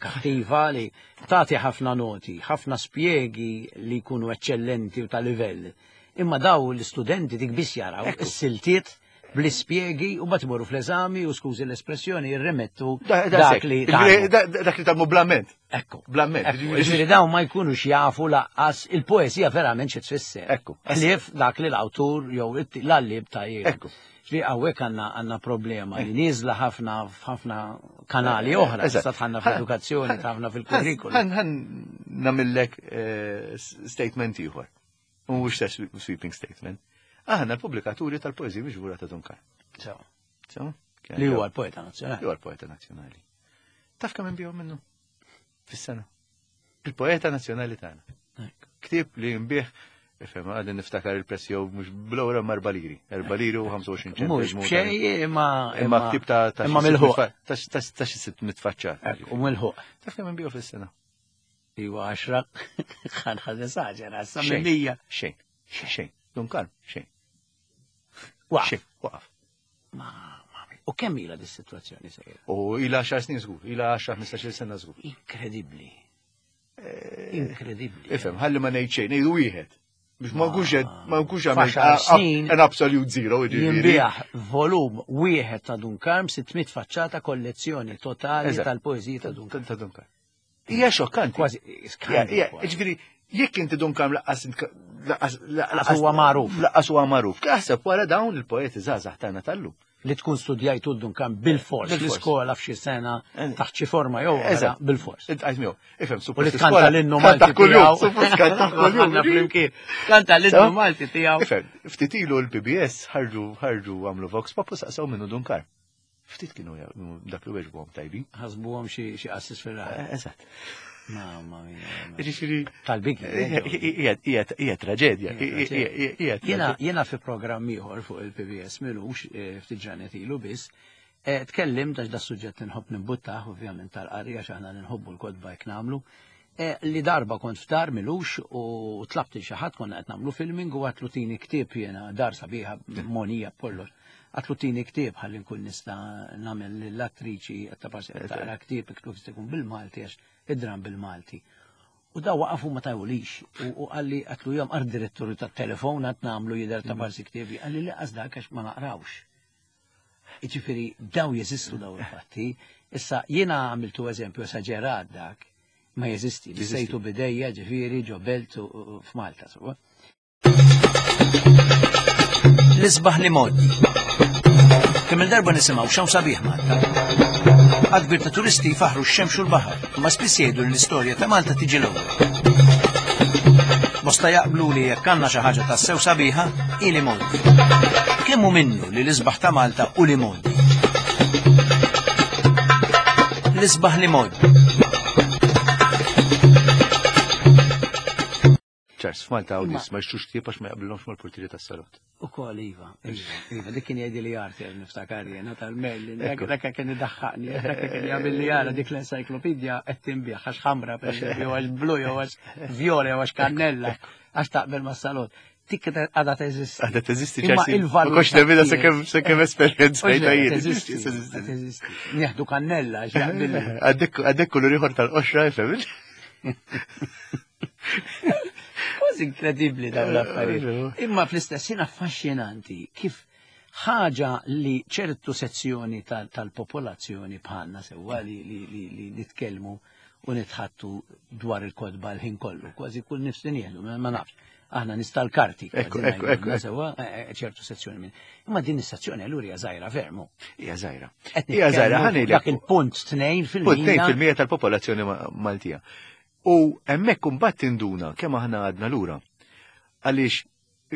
[SPEAKER 1] kattiva li tagħti ħafna noti, ħafna spjegi li jkunu eċċellenti u ta' livell. Imma daw l-istudenti dik biss jaraw is-siltiet bl-ispjegi u mbagħad imorru fl-eżami u skużi l-espressjoni jirremettu dak li
[SPEAKER 2] dak li tagħmlu blament.
[SPEAKER 1] Ekku.
[SPEAKER 2] Blament.
[SPEAKER 1] Ġifieri dawn ma jkunux jafu laqqas il-poeżija verament xi tfisser.
[SPEAKER 2] Ekku.
[SPEAKER 1] Ħlief dak li l-awtur jew l-għalliem ta' jien.
[SPEAKER 2] Ekku.
[SPEAKER 1] Ġifieri hawnhekk għandna għandna problema li nieżla ħafna f'ħafna kanali oħra, issa tħanna fl-edukazzjoni, tħanna fil-kurrikulu.
[SPEAKER 2] Ħan nagħmillek statement ieħor. U mhux sweeping statement. Aħna l-pubblikaturi tal-poeżija miġbura ta' Dun Karm.
[SPEAKER 1] Sew.
[SPEAKER 2] Sew?
[SPEAKER 1] Li huwa l-poeta nazzjonali.
[SPEAKER 2] Li huwa l-poeta nazzjonali. Taf kemm inbigħu minnu fis-sena? Il-poeta nazzjonali tagħna. Ktieb li nbih Ifhem, għadni niftakar il-prezz jew mhux bl-ewwel imma erba' liri. Erba' liri u ħamsa u għoxrin ċentesmu.
[SPEAKER 1] Mhux b'xejn imma
[SPEAKER 2] imma ktieb ta'
[SPEAKER 1] imma mill-ħuq.
[SPEAKER 2] Ta' xi sitt mitfaċċat.
[SPEAKER 1] U mill-ħuq.
[SPEAKER 2] Taf kemm inbigħu fis-sena?
[SPEAKER 1] Iwa għaxra, ħan esaġera, sa minn mija.
[SPEAKER 2] Xejn, xejn, Dun Karm, xejn.
[SPEAKER 1] Waqaf.
[SPEAKER 2] Xejn, waqaf.
[SPEAKER 1] Ma, ma, u kemm ilha dis-sitwazzjoni sejra?
[SPEAKER 2] U ilha għaxar snin żgur, ilha għaxar ħmistax-il sena żgur.
[SPEAKER 1] Inkredibbli. Inkredibbli.
[SPEAKER 2] Ifhem, ħalli ma ngħid xejn, ngħidu wieħed. Biex ma nkunx ma nkunx
[SPEAKER 1] għamilt
[SPEAKER 2] an absolute zero.
[SPEAKER 1] Jinbiegħ volum wieħed ta' Dun Karm, sitt mitt faċċata kollezzjoni totali tal-poeżija ta' Dun Karm.
[SPEAKER 2] Ta' Dun Karm. Hija xokkanti.
[SPEAKER 1] Kważi skandlu.
[SPEAKER 2] Ġifieri, jekk inti Dun Karm laqqas
[SPEAKER 1] laqqas huwa magħruf.
[SPEAKER 2] Laqqas huwa magħruf. Aħseb wara dawn il-poeti żgħażagħ tagħna tal-lum.
[SPEAKER 1] Li tkun studjajtu Dun Karm bil-fors, l-iskola f'xi sena taħt xi forma jew oħra bil-fors.
[SPEAKER 2] Intqajt miegħu. Ifhem,
[SPEAKER 1] U li tkanta l-innu Malti tiegħu.
[SPEAKER 2] Suppost kanta kuljum.
[SPEAKER 1] Flimkien. Kanta l-innu Malti tiegħu.
[SPEAKER 2] Ifhem, ftit ilu l-P B S ħarġu ħarġu għamlu Vox Pop u saqsew minnu Dun Karm. Ftit kienu dak li weġbuhom tajbin.
[SPEAKER 1] Ħasbuhom xi qassis fir-raħal.
[SPEAKER 2] Eżatt.
[SPEAKER 1] Mamma mia.
[SPEAKER 2] Ġifieri
[SPEAKER 1] tal-biki.
[SPEAKER 2] Hija traġedja.
[SPEAKER 1] Jiena fi programm ieħor fuq il-P B S milux ftit ġranet ilu biss, tkellimt għax da suġġett inħobb nimbuttah ovvjament tal-qari għax aħna nħobbu l-kotba jekk nagħmlu, li darba kont f'dar milux u tlabt xi ħadd konna qed nagħmlu filming u għatlu tini ktieb jiena dar sabiħa monija b'kollox. Għatlu tini ktieb ħalli nkun nista' nagħmel lill-attriċi qed taparsi qed taqra ktieb iktu jkun bil-Malti għax id-dram bil-Malti. U da waqafu ma tajulix u qalli għatlu jom għar direttoru tat-telefon għat nagħmlu jidher ta' parsi ktiebi, qalli li qas dak għax ma naqrawx. Jiġifieri daw jeżistu daw il-fatti. Issa jiena għamiltu eżempju esaġerat dak, ma jeżisti, li sejtu bidejja ġifieri ġo belt f'Malta. L-isbaħ li moddi. Kemm il-darba nisimgħu x'hawn sabiħ Malta. Akbir ta' turisti jfaħru x-xemx u l-baħar, imma spiss jgħidu li l-istorja ta' Malta tiġi l-ewwel. Bosta jaqblu li jekk għandna xi ħaġa tassew sabiħa, hi li moddi. Kemm hu minnu li l-isbaħ ta' Malta u li moddi? L-isbaħ li moddi.
[SPEAKER 2] Ċars, f'Malta hawn nies ma jxtrux ktieb għax ma jaqblilhomx mal-portieri tas-salott.
[SPEAKER 1] Ukoll iva, iva, iva, dik kien jgħidi li Arthur niftakar jiena tal-Merlin, dak kien idaħħaqni, dak kien jagħmel li jara dik l-encyclopedia qed tinbigħ għax ħamra pereżempju, għax blu jew għax vjola jew għax kannella, għax taqbel mas-salott. Dik għadha teżisti.
[SPEAKER 2] Għadha teżisti,
[SPEAKER 1] Imma
[SPEAKER 2] ċerti.
[SPEAKER 1] il-valur
[SPEAKER 2] Ma kontx nemminha
[SPEAKER 1] ta'
[SPEAKER 2] sakemm sakemm esperjenzajtha jien.
[SPEAKER 1] Teżisti, teżisti. Nieħdu kannella għax jaqbilli.
[SPEAKER 2] Għaddek għaddek kulur ieħor tal-qoxra, ifhem.
[SPEAKER 1] Kważi inkredibbli dawn l-affarijiet. Imma fl-istess ħin affaxxinanti kif ħaġa li ċertu sezzjoni tal-popolazzjoni bħalna sewwa li li li nitkellmu u nitħattu dwar il-kotba l-ħin kollu, kważi kull nifs li nieħdu, ma nafx. Aħna nista' l-karti,
[SPEAKER 2] Ekku,
[SPEAKER 1] kważi
[SPEAKER 2] ekku,
[SPEAKER 1] ngħidu,
[SPEAKER 2] ekku,
[SPEAKER 1] sewwa, ċertu sezzjoni minn. Imma din is-sezzjoni allura hija żgħira fermu.
[SPEAKER 2] Hija żgħira.
[SPEAKER 1] Qed
[SPEAKER 2] Hija żgħira,
[SPEAKER 1] nitkellmu
[SPEAKER 2] ħa ngħidlek.
[SPEAKER 1] Dak il-punt tnejn fil-mija.
[SPEAKER 2] Punt tnejn fil-mija tal-popolazzjoni Maltija. U hemmhekk imbagħad tinduna kemm aħna għadna lura. Għaliex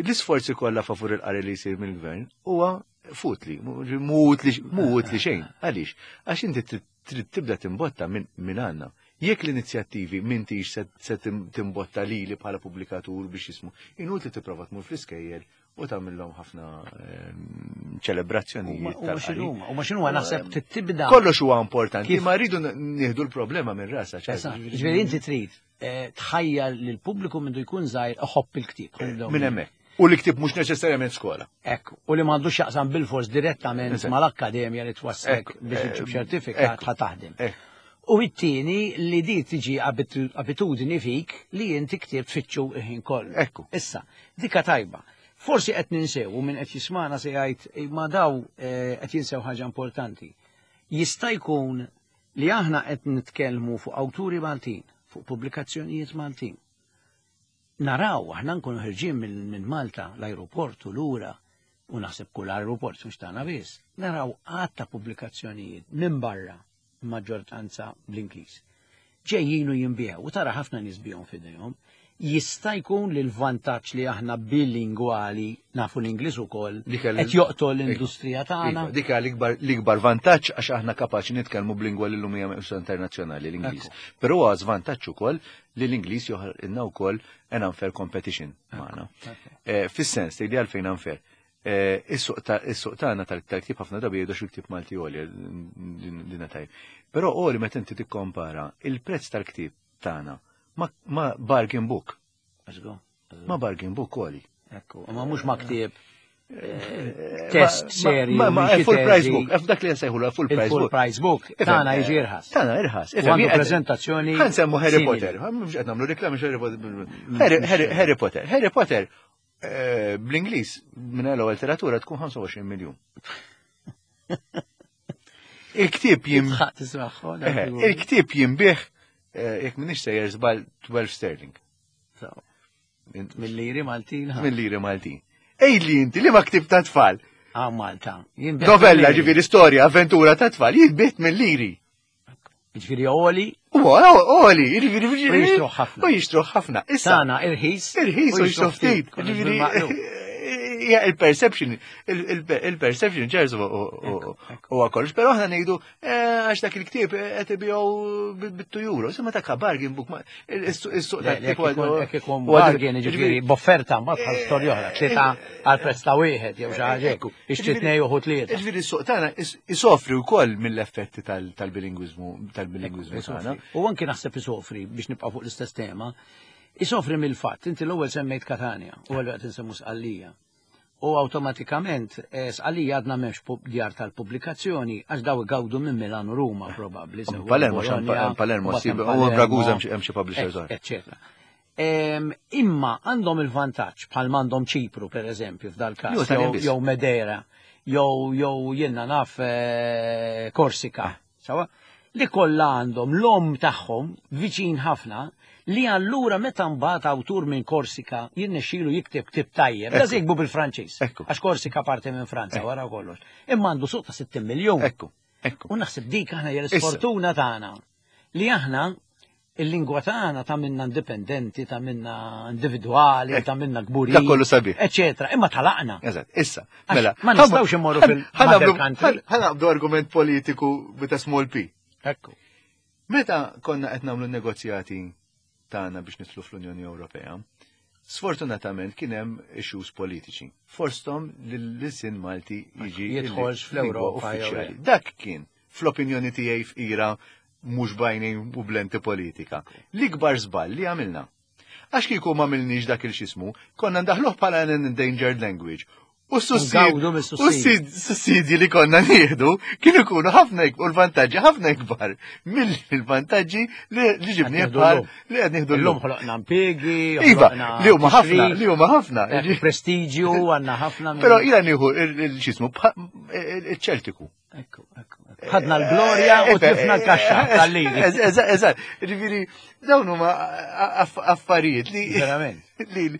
[SPEAKER 2] l-isforzi kollha favur il-qari li jsir mill-gvern huwa futli, mhu utli xejn. Għaliex? Għax inti trid tibda timbotta minn għandna. Jekk l-inizjattivi m'intix se timbotta lili bħala pubblikatur biex jismu, inutli tipprova tmur fl-iskejjel u tagħmilhom ħafna ċelebrazzjonijiet
[SPEAKER 1] U ma
[SPEAKER 2] tal-qari.
[SPEAKER 1] x'inhuma, u ma x'inhuma naħseb tibda.
[SPEAKER 2] Kollox huwa importanti,
[SPEAKER 1] Kif?
[SPEAKER 2] ma rridu nieħdu l-problema minn rasha, ċar.
[SPEAKER 1] Eżatt, ġifieri inti trid tħajjar lil pubbliku mindu jkun żgħir iħobb il-ktieb.
[SPEAKER 2] Minn hemmhekk. U l-ktieb mhux neċessarjament skola.
[SPEAKER 1] Ekku, u li m'għandux jaqsam bil-fors direttament
[SPEAKER 2] Eżatt.
[SPEAKER 1] mal-akkademja li twasslek
[SPEAKER 2] Ekku,
[SPEAKER 1] biex iġġib
[SPEAKER 2] eh,
[SPEAKER 1] ċertifikat
[SPEAKER 2] ekku,
[SPEAKER 1] ħa taħdem.
[SPEAKER 2] ekku.
[SPEAKER 1] U it-tieni li di tiġi abitudni fik li inti ktieb tfittxu il-ħin kollu.
[SPEAKER 2] Ekku.
[SPEAKER 1] Issa, dika tajba. Forsi qed ninsew u min qed jismana se jgħid ma daw qed jinsew ħaġa importanti. Jista' jkun li aħna qed nitkellmu fuq awturi Maltin, fuq pubblikazzjonijiet Maltin. Naraw, aħna nkunu ħirġin minn Malta, l-aeroport u lura, u naħseb kull aeroport mhux tagħna biss, naraw għadd ta' pubblikazzjonijiet minn barra, maġġortanza bl-Ingliż. Ġejjin u jinbiegħu u tara ħafna nies bihom f'idejhom. Jista' jkun li l-vantaġġ li aħna bilingwali nafu l-Ingliż ukoll
[SPEAKER 2] Dik għal-
[SPEAKER 1] qed joqtol l-industrija tagħna.
[SPEAKER 2] Iva, dik hija l-ikbar, l-ikbar vantaġġ għax aħna kapaċi nitkellmu b'lingwa li llum hija meqjusa internazzjonali l-Ingliż.
[SPEAKER 1] Ekku.
[SPEAKER 2] Però huwa żvantaġġ ukoll li l-Ingliż joħolqilna wkoll an unfair competition magħna.
[SPEAKER 1] Ekku.
[SPEAKER 2] Eh, fis-sens li għalfejn unfair. Eh, is-suq ta', is-suq tagħna tal-ktieb ħafna drabi jgħidu xi ktieb Malti għoli, din tajb. Però għoli meta inti tikkompara il-prezz tal-ktieb tagħna Ma, ma bargain book.
[SPEAKER 1] Let's go.
[SPEAKER 2] Ma bargain book għoli.
[SPEAKER 1] Ekku, ma mhux ma ktieb eh, test serju.
[SPEAKER 2] Ma, ma,
[SPEAKER 1] minn xi
[SPEAKER 2] full price
[SPEAKER 1] teżi.
[SPEAKER 2] book. F dak li nsejħulu full price
[SPEAKER 1] Il-full
[SPEAKER 2] book.
[SPEAKER 1] price book
[SPEAKER 2] Ifhem,
[SPEAKER 1] tagħna
[SPEAKER 2] eh,
[SPEAKER 1] jiġi irħas.
[SPEAKER 2] Tagħna irħas.
[SPEAKER 1] U għandu preżentazzjoni
[SPEAKER 2] Ħa nsemmu Harry
[SPEAKER 1] simili.
[SPEAKER 2] Potter. Mhux qed nagħmlu reklami Harry Potter. Harry, Harry, Harry Potter. Harry Potter eh, bl-Ingliż minn l letteratura tkun ħamsa u għoxrin miljun. Il-ktieb jim
[SPEAKER 1] Tħaq tismaħħu.
[SPEAKER 2] Eh, il-ktieb jinbiegħ eh, jekk m'iniex sejjer żball tnax sterling.
[SPEAKER 1] Mill-liri Maltin.
[SPEAKER 2] Minn liri Maltin. Ej li inti li ma ktieb ta' tfal.
[SPEAKER 1] Ah, Malta. Jinbiegħ
[SPEAKER 2] Novella,
[SPEAKER 1] mill-liri.
[SPEAKER 2] ġifieri storja, avventura ta' tfal, jinbiegħ minn liri.
[SPEAKER 1] Ġifieri għoli,
[SPEAKER 2] U għoli, ġifieri
[SPEAKER 1] U jixtruh ħafna.
[SPEAKER 2] U jixtruh ħafna. Issa,
[SPEAKER 1] tagħna irħis.
[SPEAKER 2] irħis u jixtruh ftit.
[SPEAKER 1] Kollox
[SPEAKER 2] Ġifieri,
[SPEAKER 1] bil-maqlub.
[SPEAKER 2] hija il-perception, il-perception ċertu
[SPEAKER 1] Ekku, ekku.
[SPEAKER 2] u kollox, pero aħna ngħidu eh, għax dak il-ktieb qed ibigħu bit-two euro. Imma dak bargain book, ma- is-suq
[SPEAKER 1] Le,
[SPEAKER 2] tal-ktieb
[SPEAKER 1] jekk ikun- jekk ikun
[SPEAKER 2] huwa-
[SPEAKER 1] bargain, ġifieri, b'offerta mbagħad bħal storja oħra, tlieta għal prezz ta' wieħed jew xi ħaġa hekk, ixtri tnejn u tlieta.
[SPEAKER 2] Ġifieri s-suq tagħna is- isofri wkoll mill-effetti tal- tal-bilingwiżmu tal-bilingwiżmu tagħna.
[SPEAKER 1] U anki naħseb isofri biex nibqa' fuq l-istess tema, isofri mill-fatt, inti l-ewwel semmejt Katania u għal qed insemmu Sqallija. U awtomatikament eh, Sqallija għadna m'hemmx pub- djar tal-pubblikazzjoni għax daw igawdu minn Milano Ruma probabbli. sew
[SPEAKER 2] Palermo,
[SPEAKER 1] Bologna,
[SPEAKER 2] Palermo,
[SPEAKER 1] u
[SPEAKER 2] sib-
[SPEAKER 1] hemm
[SPEAKER 2] u
[SPEAKER 1] Palermo,
[SPEAKER 2] Ragusa hemm xi- hemm xi publishers oħra.
[SPEAKER 1] Eccetera. Em, Imma għandhom il-vantaġġ bħal m'għandhom Ċipru per eżempju f'dal
[SPEAKER 2] Jew
[SPEAKER 1] każ
[SPEAKER 2] Italjan
[SPEAKER 1] jew
[SPEAKER 2] biss.
[SPEAKER 1] jew Madeira jew jew jiena naf eh, Korsika, sawa? Li kollha għandhom l-om tagħhom viċin ħafna li allura meta mbagħad awtur minn Korsika jirnexxielu jikteb ktib tajjeb, da jiktbu bil-Franċiż.
[SPEAKER 2] Ekku.
[SPEAKER 1] Għax Korsika parti minn Franza wara kollox. Imma għandu suq ta' sittin miljun.
[SPEAKER 2] Ekku, ekku.
[SPEAKER 1] U naħseb dik aħna hija
[SPEAKER 2] Issa.
[SPEAKER 1] l-sfortuna tagħna li aħna il-lingwa tagħna ta' minna indipendenti, ta' minna individwali,
[SPEAKER 2] Ekku.
[SPEAKER 1] ta' minna kburin.
[SPEAKER 2] Dak kollu sabiħ.
[SPEAKER 1] Eccetera. Imma talaqna.
[SPEAKER 2] Eżatt, issa.
[SPEAKER 1] Għax
[SPEAKER 2] Mela,
[SPEAKER 1] ma nistgħux immorru fil-mother country.
[SPEAKER 2] Ħa naqbdu argument politiku with a small p.
[SPEAKER 1] Ekku.
[SPEAKER 2] Meta konna qed nagħmlu negozjati tagħna biex nidħlu fl-Unjoni Ewropea, sfortunatament kien hemm issues politiċi. Fosthom li l-ilsien Malti jiġi
[SPEAKER 1] Jidħolx fl-Ewropa jew
[SPEAKER 2] uffiċjali.
[SPEAKER 1] le.
[SPEAKER 2] Dak kien fl-opinjoni tiegħi f'ira mhux bajnejn u blenti politika. L-ikbar żball li għamilna. Għax kieku ma għamilniex dak il-xismu, konna ndaħluh bħala an endangered language. U
[SPEAKER 1] Ngawdu mis-sussidji.
[SPEAKER 2] s-sussidji li konna nieħdu kienu jkunu ħafna ik- u l-vantaġġi ħafna ikbar mill-vantaġġi li li ġibnieh
[SPEAKER 1] Qed nieħdu
[SPEAKER 2] bħal
[SPEAKER 1] llum.
[SPEAKER 2] li qed nieħdu
[SPEAKER 1] Illum
[SPEAKER 2] llum.
[SPEAKER 1] ħloqna impjiegi,
[SPEAKER 2] Iva,
[SPEAKER 1] ħloqna
[SPEAKER 2] li huma ħafna,
[SPEAKER 1] tixrif,
[SPEAKER 2] li huma ħafna.
[SPEAKER 1] eh, prestiġju, għandna ħafna. minn-
[SPEAKER 2] Però jiena nieħu il-xismu il-Ċeltiku.
[SPEAKER 1] Ekku, ekku. ekku. Ħadna l-glorja u tlifna l-kaxxa tal-liri.
[SPEAKER 2] Eżatt, eżatt. Ġifieri dawn huma aff- affarijiet li
[SPEAKER 1] Verament.
[SPEAKER 2] li li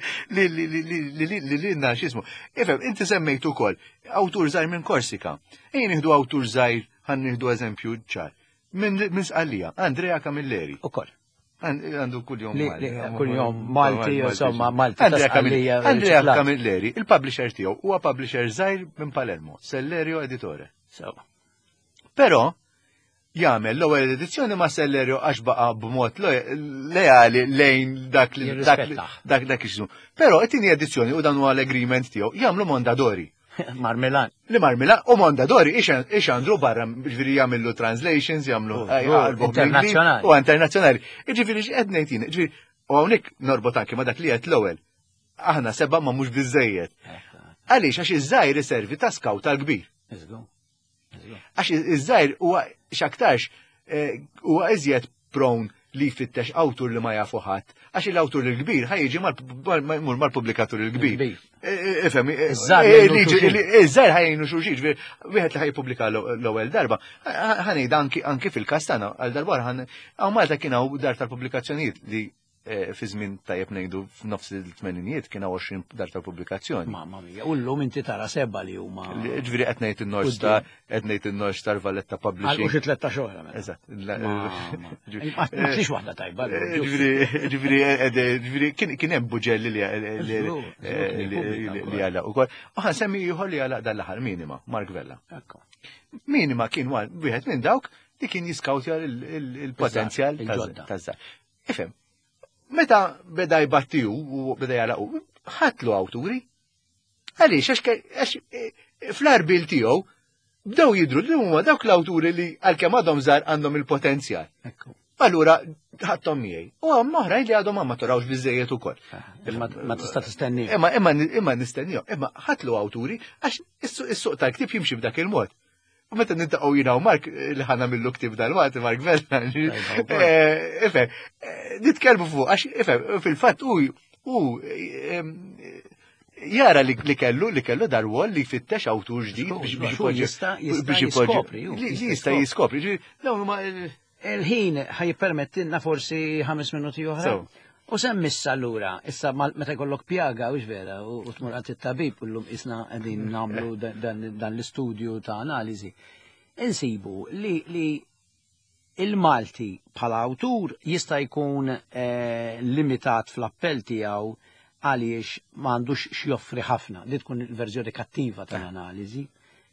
[SPEAKER 2] li li li li li li li xismu. Ifhem, inti semmejt ukoll awtur żgħir minn Korsika. Ejja nieħdu awtur żgħir, ħa nieħdu eżempju ċar. Minn minn Sqallija, Andrea Camilleri.
[SPEAKER 1] Ukoll.
[SPEAKER 2] Għandu kuljum
[SPEAKER 1] Li-
[SPEAKER 2] Malti.
[SPEAKER 1] li- kuljum Malti, insomma, Malti ta'
[SPEAKER 2] Andrea Camilleri,
[SPEAKER 1] Sqallija,
[SPEAKER 2] Andrea
[SPEAKER 1] riċiklat.
[SPEAKER 2] Camilleri, il-publisher tiegħu huwa publisher żgħir minn Palermo, Sellerio Editore.
[SPEAKER 1] Sewa.
[SPEAKER 2] Però jagħmel l-ewwel edizzjoni ma' Sellerio għax baqa' b'mod lo- leali lejn dak li dak li-
[SPEAKER 1] Jirrispettah.
[SPEAKER 2] dak dak ix Però it-tieni edizzjoni u dan huwa l-agreement tiegħu jagħmlu Mondadori.
[SPEAKER 1] Mar Milan.
[SPEAKER 2] Li mar Milan u Mondadori ixandru barra, ġifieri jagħmlu translations, jagħmlu
[SPEAKER 1] Oh,
[SPEAKER 2] eh,
[SPEAKER 1] oh,
[SPEAKER 2] jaqalbuh bl-Ingliż,
[SPEAKER 1] internazzjonali.
[SPEAKER 2] U internazzjonali. Ġifieri x'qed ngħid jien, ġifieri u hawnhekk norbot anke ma dak li qed l-ewwel. Aħna seba' ma mhux biżejjed. Għaliex għax iż-żgħir iservi ta' scout tal-kbir.
[SPEAKER 1] Iżgu. Iżgu.
[SPEAKER 2] Għax iż-żgħir huwa x'aktarx eh, huwa iżjed prone li jfittex awtur li ma jafu ħadd, għax il-awtur il-kbir ħa jiġi mal- mal-pubblikatur il-kbir.
[SPEAKER 1] Il-kbir.
[SPEAKER 2] Ifhem,
[SPEAKER 1] Iż-żgħar jgħinu xulxin.
[SPEAKER 2] iż-żgħir ħa jgħinu xulxin, ġifieri wieħed li ħa jippubblika l-ewwel darba, ħa ngħid anki anki fil-każ tagħna għal darba ħan hawn Malta kien hawn dar tal-pubblikazzjonijiet li eh, fi żmien tajjeb ngħidu f'nofs il-tmeninijiet kien hawn għoxrin dar tal-pubblikazzjoni.
[SPEAKER 1] Mamma mia, u llum inti tara seba li huma.
[SPEAKER 2] Ġifieri qed ngħid in-North Star, qed ngħid in-North Star Valletta
[SPEAKER 1] Għal
[SPEAKER 2] Publishing.
[SPEAKER 1] xi tlettax oħra mela.
[SPEAKER 2] Eżatt.
[SPEAKER 1] Ma ma tlix waħda tajba.
[SPEAKER 2] Ġifieri, ġifieri, ġifieri, kien kien hemm buġelli li li
[SPEAKER 1] Żgur, żgur kien
[SPEAKER 2] li
[SPEAKER 1] jippubblika
[SPEAKER 2] li għalaq ukoll. U ħa nsemmi ieħor li għalaq dan l-aħħar Minima, Mark Vella.
[SPEAKER 1] Ekku.
[SPEAKER 2] Minima kien wieħed minn dawk li kien jiskawtja il-potenzjal
[SPEAKER 1] Il-ġodda.
[SPEAKER 2] taż-żgħar. Ifhem, meta beda jbattiju u beda jagħlaqu, ħatlu awturi. Għaliex, għax ke- għax eh, fl-arbil tiegħu bdew jidru li huma dawk l-awturi li għalkemm għadhom żgħar għandhom il-potenzjal.
[SPEAKER 1] Ekku.
[SPEAKER 2] Allura, Ħadthom miegħi. U hemm oħrajn li għadhom ma maturawx biżejjed ukoll.
[SPEAKER 1] Imma ma tista' tistenni.
[SPEAKER 2] Imma imma imma nistennihom, imma ħatlu awturi għax is-suq tal-ktieb jimxi b'dak il-mod. U meta niltaqgħu jiena u Mark li ħa nagħmillu ktieb dal-waqt, Mark Vella, ifhem, nitkellmu fuq għax ifhem, fil-fatt u u jara li kellu li kellu dar-rwol li jfittex awtur ġdid biex
[SPEAKER 1] biex jiskopri.
[SPEAKER 2] Li jista' jiskopri. Dawn huma
[SPEAKER 1] Il-ħin ħa jippermettilna forsi ħames minuti oħra. U semmissa allura, issa meta jkollok pjaga, u vera, u tmur għand it-tabib, u llum isna qegħdin nagħmlu dan l-istudju ta' analiżi. Insibu li li il-Malti bħala awtur jista' jkun limitat fl-appell tiegħu għaliex m'għandux x'joffri ħafna. Li tkun il-verżjoni kattiva tal-analiżi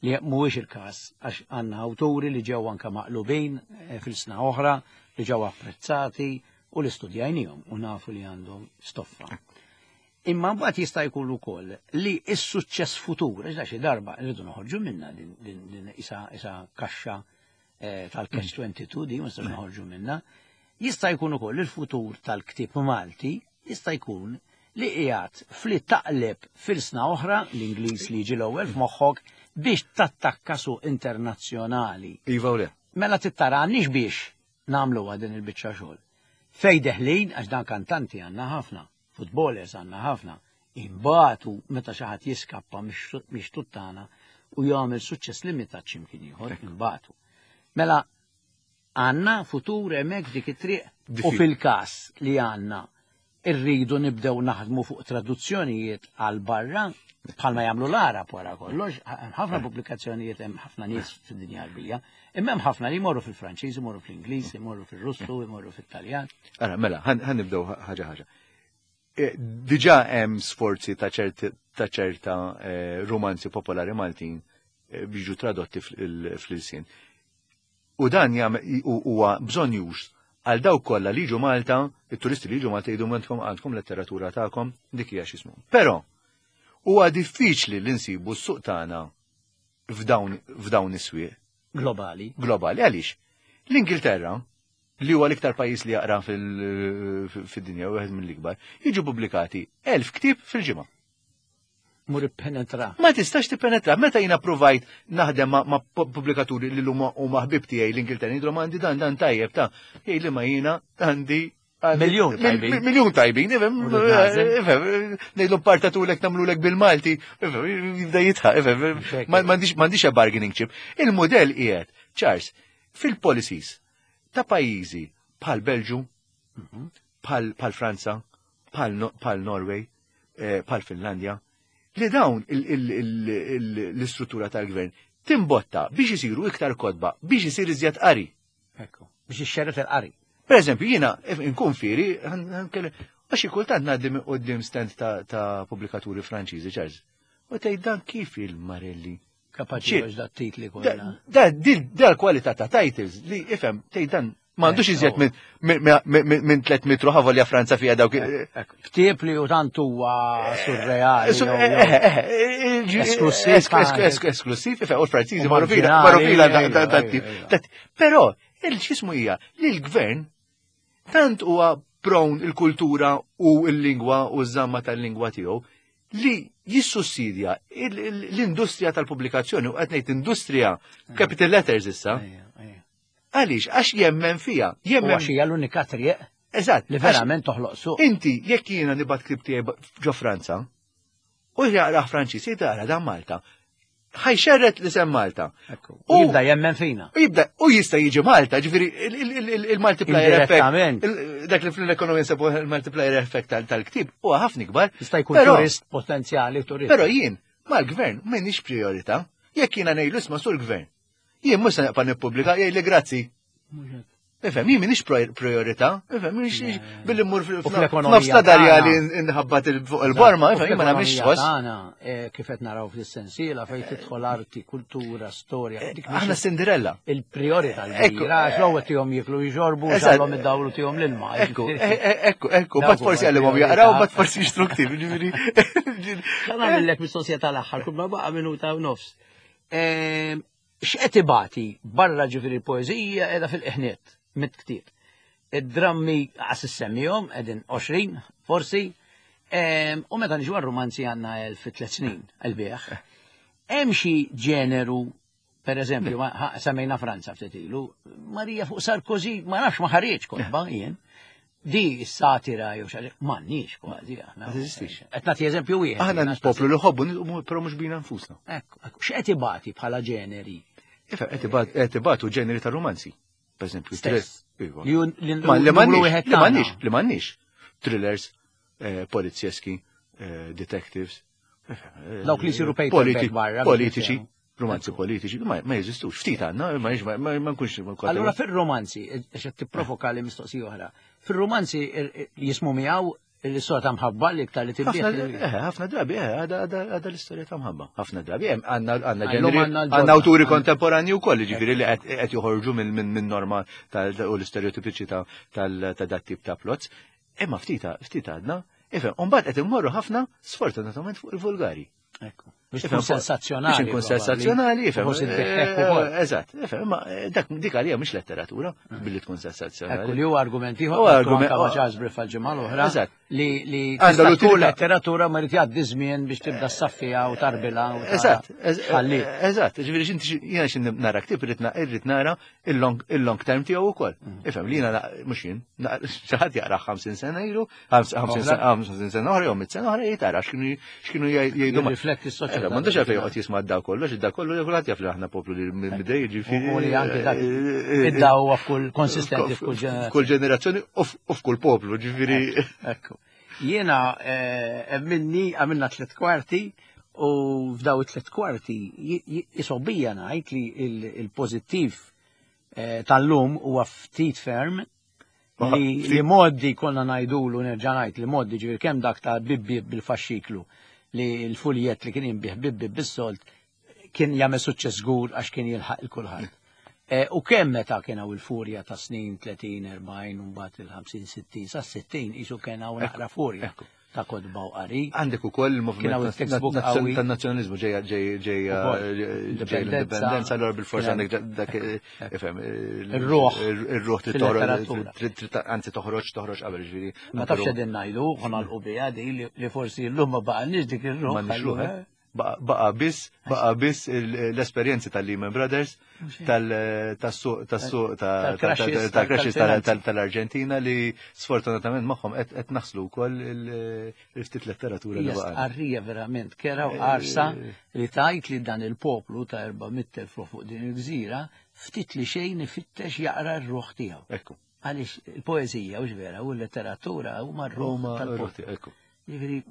[SPEAKER 1] li mhuwiex il-każ għax għandna awturi li ġew anke maqlubin fil-sna oħra, li ġew apprezzati u li studjajnihom u nafu li għandhom stoffa. Imma mbagħad jista' jkun ukoll li s-suċċess futur, għax xi darba rridu noħorġu minna din isa isa kaxxa tal-Catch twenty-two di ma nistax noħorġu minna, jista' jkun ukoll il-futur tal-ktieb Malti jista' jkun li qiegħed fli taqleb fil-sna oħra l-Ingliż li jiġi l-ewwel f'moħħok biex tattakka suq internazzjonali.
[SPEAKER 2] Iva u le.
[SPEAKER 1] Mela tittara għandniex biex nagħmluha din il-biċċa xogħol. Fej deħlin, għax dan kantanti għandna ħafna, footballers għandna ħafna, imbagħtu meta xi ħadd jiskappa mhix tuttana u jagħmel suċċess limitat x'imkien ieħor, imbagħtu. Mela għandna futur hemmhekk dik it-triq u fil-każ li għandna irridu nibdew naħdmu fuq traduzzjonijiet għal barra bħalma jagħmlu l-Arab wara kollox, hemm ħafna pubblikazzjonijiet, hemm ħafna nies fid-dinja Arbija, imma hemm ħafna li jmorru fil-Franċiż, imorru fl-Ingliż, imorru fil-Russu, imorru fit-Taljan.
[SPEAKER 2] Ara, mela, ħan nibdew ħaġa ħaġa. Diġà hemm sforzi ta' ċerta romanzi popolari Maltin biex jiġu tradotti fl-ilsien. U dan huwa bżonn għal dawk kollha li jiġu Malta, it-turisti li jiġu Malta jgħidu għandkom għandkom letteratura tagħkom, dik hija x'ismu. Però huwa diffiċli li nsibu s-suq tagħna f'dawn is-swieq.
[SPEAKER 1] Globali.
[SPEAKER 2] Globali, għaliex? L-Ingilterra, li huwa l-iktar pajjiż li jaqra fid-dinja, wieħed mill-ikbar, jiġu pubblikati elf ktieb fil-ġimgħa.
[SPEAKER 1] Mur penetra.
[SPEAKER 2] Ma tistax tippenetra. Meta jiena provajt naħdem ma' pubblikaturi li l-huma huma ħbib tiegħi l-Ingilterra, jgħidulhom għandi dan dan tajjeb ta' jgħid li ma jiena għandi
[SPEAKER 1] Miljun tajbin.
[SPEAKER 2] Miljun tajbin, ifhem, ifhem, ngħidlu partatulek nagħmlulek bil-Malti, ifhem, jibda jitħaq, ifhem, m'għandix bargaining chip. Il-modell qiegħed, Charles, fil-policies ta' pajjiżi bħal Belġu, bħal Franza, bħal Norway, bħal Finlandja, li dawn l-istruttura tal-gvern timbotta biex isiru iktar kotba, biex isir iżjed qari.
[SPEAKER 1] Ekku, biex ixxerret il-qari.
[SPEAKER 2] Per eżempju, jiena nkun fieri, għax kultant ngħaddi minn quddiem stand ta' pubblikaturi Franċiżi, Charles. U tgħid dan kif il-Marelli.
[SPEAKER 1] Kapaċi għax da titli kollha.
[SPEAKER 2] Da da kwalità ta' titles li ifhem tgħid dan m'għandux iżjed minn tliet mitru ħavolja Franza fiha dawk.
[SPEAKER 1] Ktieb li u tant huwa surreali.
[SPEAKER 2] Esklusiv. Esklusiv, ifhem, u l-Franċiżi marru fila, marru fila da tip. Però il-xismu hija li l-gvern tant huwa prone il-kultura u l-lingwa u ż-żamma tal-lingwa tiegħu li jissussidja l-industrija tal-pubblikazzjoni u qed ngħid industrija capital letters issa. Għaliex, għax jemmen fija.
[SPEAKER 1] Jemmen għax hija l-unika triq.
[SPEAKER 2] Eżatt.
[SPEAKER 1] Li verament toħloq suq.
[SPEAKER 2] Inti, jekk jiena nibgħat ktieb tiegħi ġo Franza, u jaqrah Franċiż, jgħid dan Malta. Ħa jxerred li sem Malta.
[SPEAKER 1] U jibda jemmen fina.
[SPEAKER 2] U jibda, u jista' jiġi Malta, ġifieri il-multiplier effect. Dak li fl-ekonomija nsebu il-multiplier effect tal-ktieb huwa ħafna ikbar.
[SPEAKER 1] Jista' jkun turist potenzjali turist.
[SPEAKER 2] Però jien mal-gvern m'għandix priorità. Jekk jiena ngħidlu isma' sur gvern. Jien mhux se naqpa' nippubblika, jgħidli grazzi. Ifhem, jien m'iniex priorità, ifhem, m'iniex billi mmur fl-ekonomija ta' darja li nħabbat fuq il-borma, ifhem, jien ma nagħmilx ħoss.
[SPEAKER 1] Tagħna kif qed naraw fis-sensiela fejn tidħol arti, kultura, storja.
[SPEAKER 2] Aħna Cinderella.
[SPEAKER 1] Il-priorità l-kbira, għax l-ewwel tihom jieklu jxorbu, xallhom id-dawlu tihom l-ilma.
[SPEAKER 2] Ekku, ekku, ekku, bat forsi għallimhom jaqraw, bat forsi jixtru ktieb, ġifieri.
[SPEAKER 1] Nagħmellek mistoqsija tal-aħħar, kull ma baqa' minuta u nofs. X'qed ibati barra ġifieri l-poeżija qiegħda fil-qħniet mit-ktieb. Id-drammi għas issemmihom qegħdin għoxrin forsi, u meta niġu għar-romanzi għandna elf fi tliet snin il-bieħ. Hemm xi ġeneru, per eżempju, semmejna Franza ftit ilu, Marija fuq Sarkozy, ma nafx ma ħareġ kotba jien. Di s-satira jew xi m'għandniex kważi aħna.
[SPEAKER 2] Ma teżistix.
[SPEAKER 1] Qed nagħti eżempju wieħed.
[SPEAKER 2] Aħna poplu li ħobbu, però mhux bina nfusna.
[SPEAKER 1] Ekku, ekku, x'qed ibati bħala ġeneri?
[SPEAKER 2] Ifa, qed ibatu ġeneri ta' romanzi. Per eżempju,
[SPEAKER 1] Stess.
[SPEAKER 2] Iva.
[SPEAKER 1] Li jun- li
[SPEAKER 2] Ma li
[SPEAKER 1] numru
[SPEAKER 2] m'għandniex,
[SPEAKER 1] wieħed
[SPEAKER 2] li
[SPEAKER 1] tagħna.
[SPEAKER 2] m'għandniex, li m'għandniex. Thrillers, eh, polizjeski, eh, detectives. eh,
[SPEAKER 1] Dawk li jsiru paperback
[SPEAKER 2] politi-
[SPEAKER 1] barra,
[SPEAKER 2] Politiċi,
[SPEAKER 1] biex
[SPEAKER 2] romanzi politiċi, ma ma jeżistux. Ftit għandna, ma ma- ma ma nkunx.
[SPEAKER 1] Allura fir-romanzi, għax qed tipprovoka li mistoqsija oħra. Fir-romanzi jismu miegħu l-istorja ta' mħabba li iktar li
[SPEAKER 2] ħafna
[SPEAKER 1] tibdiet.
[SPEAKER 2] eh, ħafna drabi, eh, għada għada għada l-istorja ta' mħabba. Ħafna drabi, eh, għandna għandna
[SPEAKER 1] Illum
[SPEAKER 2] ġeneri,
[SPEAKER 1] għandna l-ġodda.
[SPEAKER 2] għandna awturi kontemporanji wkoll, ġifieri li qed qed joħorġu minn minn minn norma tal u l-istereotipiċi ta' tal ta' dat tip ta' plots. Imma ftita, ftit għadna, ifhem, u mbagħad qed immorru ħafna sfortunatament fuq il-vulgari.
[SPEAKER 1] Ekku. Biex
[SPEAKER 2] Ifhem,
[SPEAKER 1] tkun sensazzjonali.
[SPEAKER 2] Biex nkun sensazzjonali, ifhem.
[SPEAKER 1] Forsi tbiħek ukoll.
[SPEAKER 2] eh, Eżatt, ifhem, imma eh, dak dik għalija mhix letteratura billi tkun sensazzjonali.
[SPEAKER 1] Ekku li huwa argument ieħor,
[SPEAKER 2] Huwa
[SPEAKER 1] anke
[SPEAKER 2] argument-
[SPEAKER 1] ma' Charles Briff għal-ġimgħa l-oħra.
[SPEAKER 2] Eżatt.
[SPEAKER 1] Li li
[SPEAKER 2] Għandha
[SPEAKER 1] tista' tkun
[SPEAKER 2] l-utilità.
[SPEAKER 1] letteratura ma jrid jgħaddi żmien biex tibda ssaffija u tarbila u tara
[SPEAKER 2] Eżatt, ez-
[SPEAKER 1] x'ħalli.
[SPEAKER 2] eżatt, ġifieri x'inti jiena xi nara ktieb irrid na- irrid nara il-long il-long term tiegħu wkoll. Ifhem li jiena na- mhux jien, na- xi ħadd jaqra ħamsin sena ilu, ħams- ħamsin sena ħamsin sena oħra jew mitt sena oħra jgħid ara x'kienu x'kienu jgħidu ma-
[SPEAKER 1] Jirrifletti s-soċjetà.
[SPEAKER 2] Eh, M'għandux għalfejn joqgħod jisma' d-daw kollox, id-daw kollu kulħadd jaf li aħna poplu li minn bidej ġifieri.
[SPEAKER 1] U li anke dak
[SPEAKER 2] eh,
[SPEAKER 1] id-daw huwa f'kull konsistenti f'kull ġenerazzjoni.
[SPEAKER 2] F'kull ġenerazzjoni u f- u f'kull poplu, ġifieri.
[SPEAKER 1] Ekku. Jiena eh, minni għamilna tliet kwarti u f'daw it-tliet kwarti jisobija ngħid li il- il-pożittiv eh, tal-lum huwa ftit ferm li,
[SPEAKER 2] Ftit.
[SPEAKER 1] li moddi konna ngħidulu nerġa' ngħid li moddi ġifieri kemm dak ta' bibbi bil-faxxiklu li l-fuljet li kien jinbih bibbi bis-solt kien jagħmel suċċess żgur għax kien jilħaq il kulħadd. Eh, U kemm meta kien hawn il-furja ta' snin tletin, erbgħin, u mbagħad il-ħamsin, sittin, sa' sittin isu kien hawn naqra furja
[SPEAKER 2] Ekku.
[SPEAKER 1] ta' kotba u qari.
[SPEAKER 2] Għandek ukoll
[SPEAKER 1] Kien
[SPEAKER 2] il-moviment
[SPEAKER 1] hawn il-textbook qawwi.
[SPEAKER 2] tan-nazzjonalizmu ġejja ġej ġejja
[SPEAKER 1] Ukoll.
[SPEAKER 2] ġej
[SPEAKER 1] Indipendenza.
[SPEAKER 2] l-indipendenza, allura bil-forsa
[SPEAKER 1] Kien
[SPEAKER 2] għandek dak ifhem
[SPEAKER 1] Ir-ruħ
[SPEAKER 2] ir-ruħ trid toħroġ
[SPEAKER 1] fil-letteratura.
[SPEAKER 2] trid- trid- anzi toħroġ toħroġ qabel ġifieri.
[SPEAKER 1] Ma tafx qegħdin ngħidu, ħa biha di li li forsi llum ma baqalniex dik ir-ruħ.
[SPEAKER 2] M'għandniex ruħ,
[SPEAKER 1] allura.
[SPEAKER 2] eh? Baqa baqa biss baqa biss il- l-esperjenzi tal-Lehman Brothers, tal- tas-suq tas-suq ta'
[SPEAKER 1] Tal-crashes,
[SPEAKER 2] tal-crashes
[SPEAKER 1] tal-finanzi.
[SPEAKER 2] tal- tal-Arġentina li sfortunatament magħhom qed qed naħslu wkoll il-ftit letteratura li
[SPEAKER 1] Hija
[SPEAKER 2] baqa'.
[SPEAKER 1] stqarrija verament kera u qarsa li tajt li dan il-poplu ta' erba' mitt elf ruħ fuq din il-gżira ftit li xejn ifittex jaqra r-ruħ tiegħu.
[SPEAKER 2] Ekku.
[SPEAKER 1] Għaliex il-poeżija u vera u l-letteratura huma r-ruħ
[SPEAKER 2] Huma
[SPEAKER 1] tal-poplu.
[SPEAKER 2] r-ruħ tiegħu, ekku.
[SPEAKER 1] Jiġifieri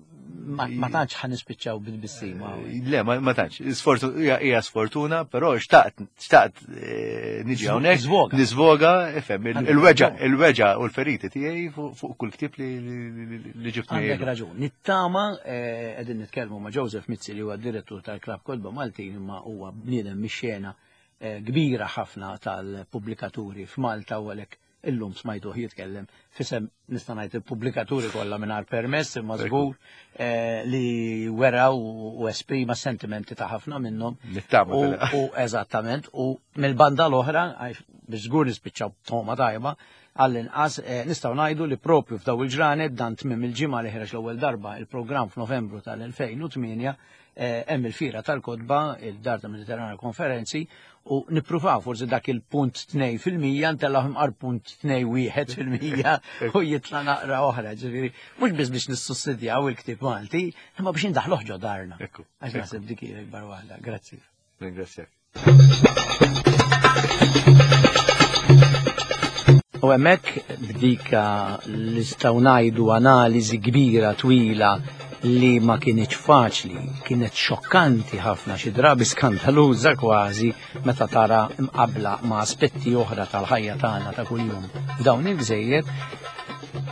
[SPEAKER 1] ma ma tantx ħa nispiċċaw bil-bissima.
[SPEAKER 2] Le, ma ma tantx. Sfortu- Hija hija sfortuna, però xtaqt xtaqt eh, niġi hawnhekk.
[SPEAKER 1] Żvoga.
[SPEAKER 2] Niżvoga, ifhem, il-
[SPEAKER 1] Għandek
[SPEAKER 2] il-weġa'
[SPEAKER 1] raġun.
[SPEAKER 2] il-weġa' u l-feriti tiegħi fuq fuq kull ktieb li li- li ġibt
[SPEAKER 1] Għandek
[SPEAKER 2] miegħi.
[SPEAKER 1] raġun. Nittama, eh, qegħdin nitkellmu ma' Joseph Mizzi li huwa direttur tal-Klabb Kotba Maltin imma huwa bniedem mix-xena eh, kbira ħafna tal-pubblikaturi f'Malta u għalhekk illum smajtuh jitkellem fisem nista' ngħid il-pubblikaturi kollha mingħajr permess imma żgur eh, li wera u u esprima sentimenti ta' ħafna minnhom.
[SPEAKER 2] Nittama
[SPEAKER 1] U,
[SPEAKER 2] tal-
[SPEAKER 1] u eżattament, u mill-banda l-oħra, għax biex żgur nispiċċaw toma tajba, għall-inqas eh, nistgħu ngħidu li propju f'daw il-ġranet dan tmiem il-ġimgħa li ħreġ l-ewwel darba il-programm f'Novembru tal-elfejn u tmienja eh, hemm il-fira tal-kotba, il-Dar ta' Mediterrana Konferenzi, u nippruvaw forsi dak il-punt tnejn fil-mija ntellgħu imqar punt tnejn wieħed fil-mija u jitla naqra oħra, ġifieri mhux biss biex nissussidjaw il-ktieb Malti, imma biex indaħluh ġo darna.
[SPEAKER 2] Ekku,
[SPEAKER 1] Għax
[SPEAKER 2] ekku.
[SPEAKER 1] naħseb dik hija l-ikbar waħda. Grazzi.
[SPEAKER 2] Ringrazzjak.
[SPEAKER 1] U hemmhekk b'dika li nistgħu ngħidu analiżi kbira twila li ma kienx faċli, kienet xokkanti ħafna, xi drabi skandaluża kważi meta tara mqabla ma' aspetti oħra tal-ħajja tagħna ta' kuljum f'dawn il-gżejjer.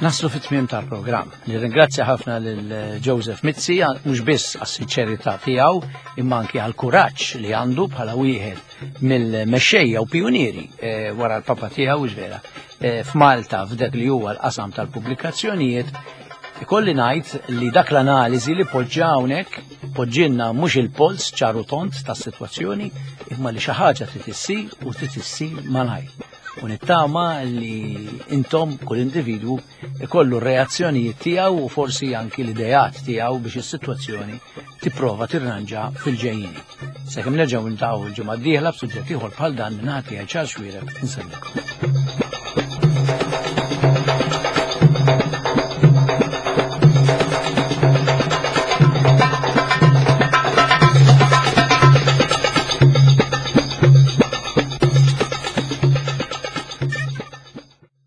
[SPEAKER 1] Naslu fit-tmiem tal-programm. Nirringrazzja ħafna lil Joseph Mizzi, mhux biss għas-sinċerità tiegħu, imma anki għall-kuraġġ li għandu bħala wieħed mill-mexxejja u pionieri eh, wara l-papa tiegħu vera eh, f'Malta f'dak li huwa l-qasam tal-pubblikazzjonijiet. Ikolli ngħid li dak l-analiżi li poġġa hawnhekk poġġilna mhux il-polz ċaru tont tas-sitwazzjoni imma li xi ħaġa trid issir u trid issir malajr. U nittama li intom kull individwu ikollu reazzjonijiet tiegħu u forsi anki l-idejat tiegħu biex is-sitwazzjoni tipprova tirranġa fil-ġejjini. Sakemm nerġgħu niltaqgħu il-ġimgħa d-dieħla b'suġġett ieħor bħal dan, minn naħa tiegħi Charles Xuereb, insellmilkom.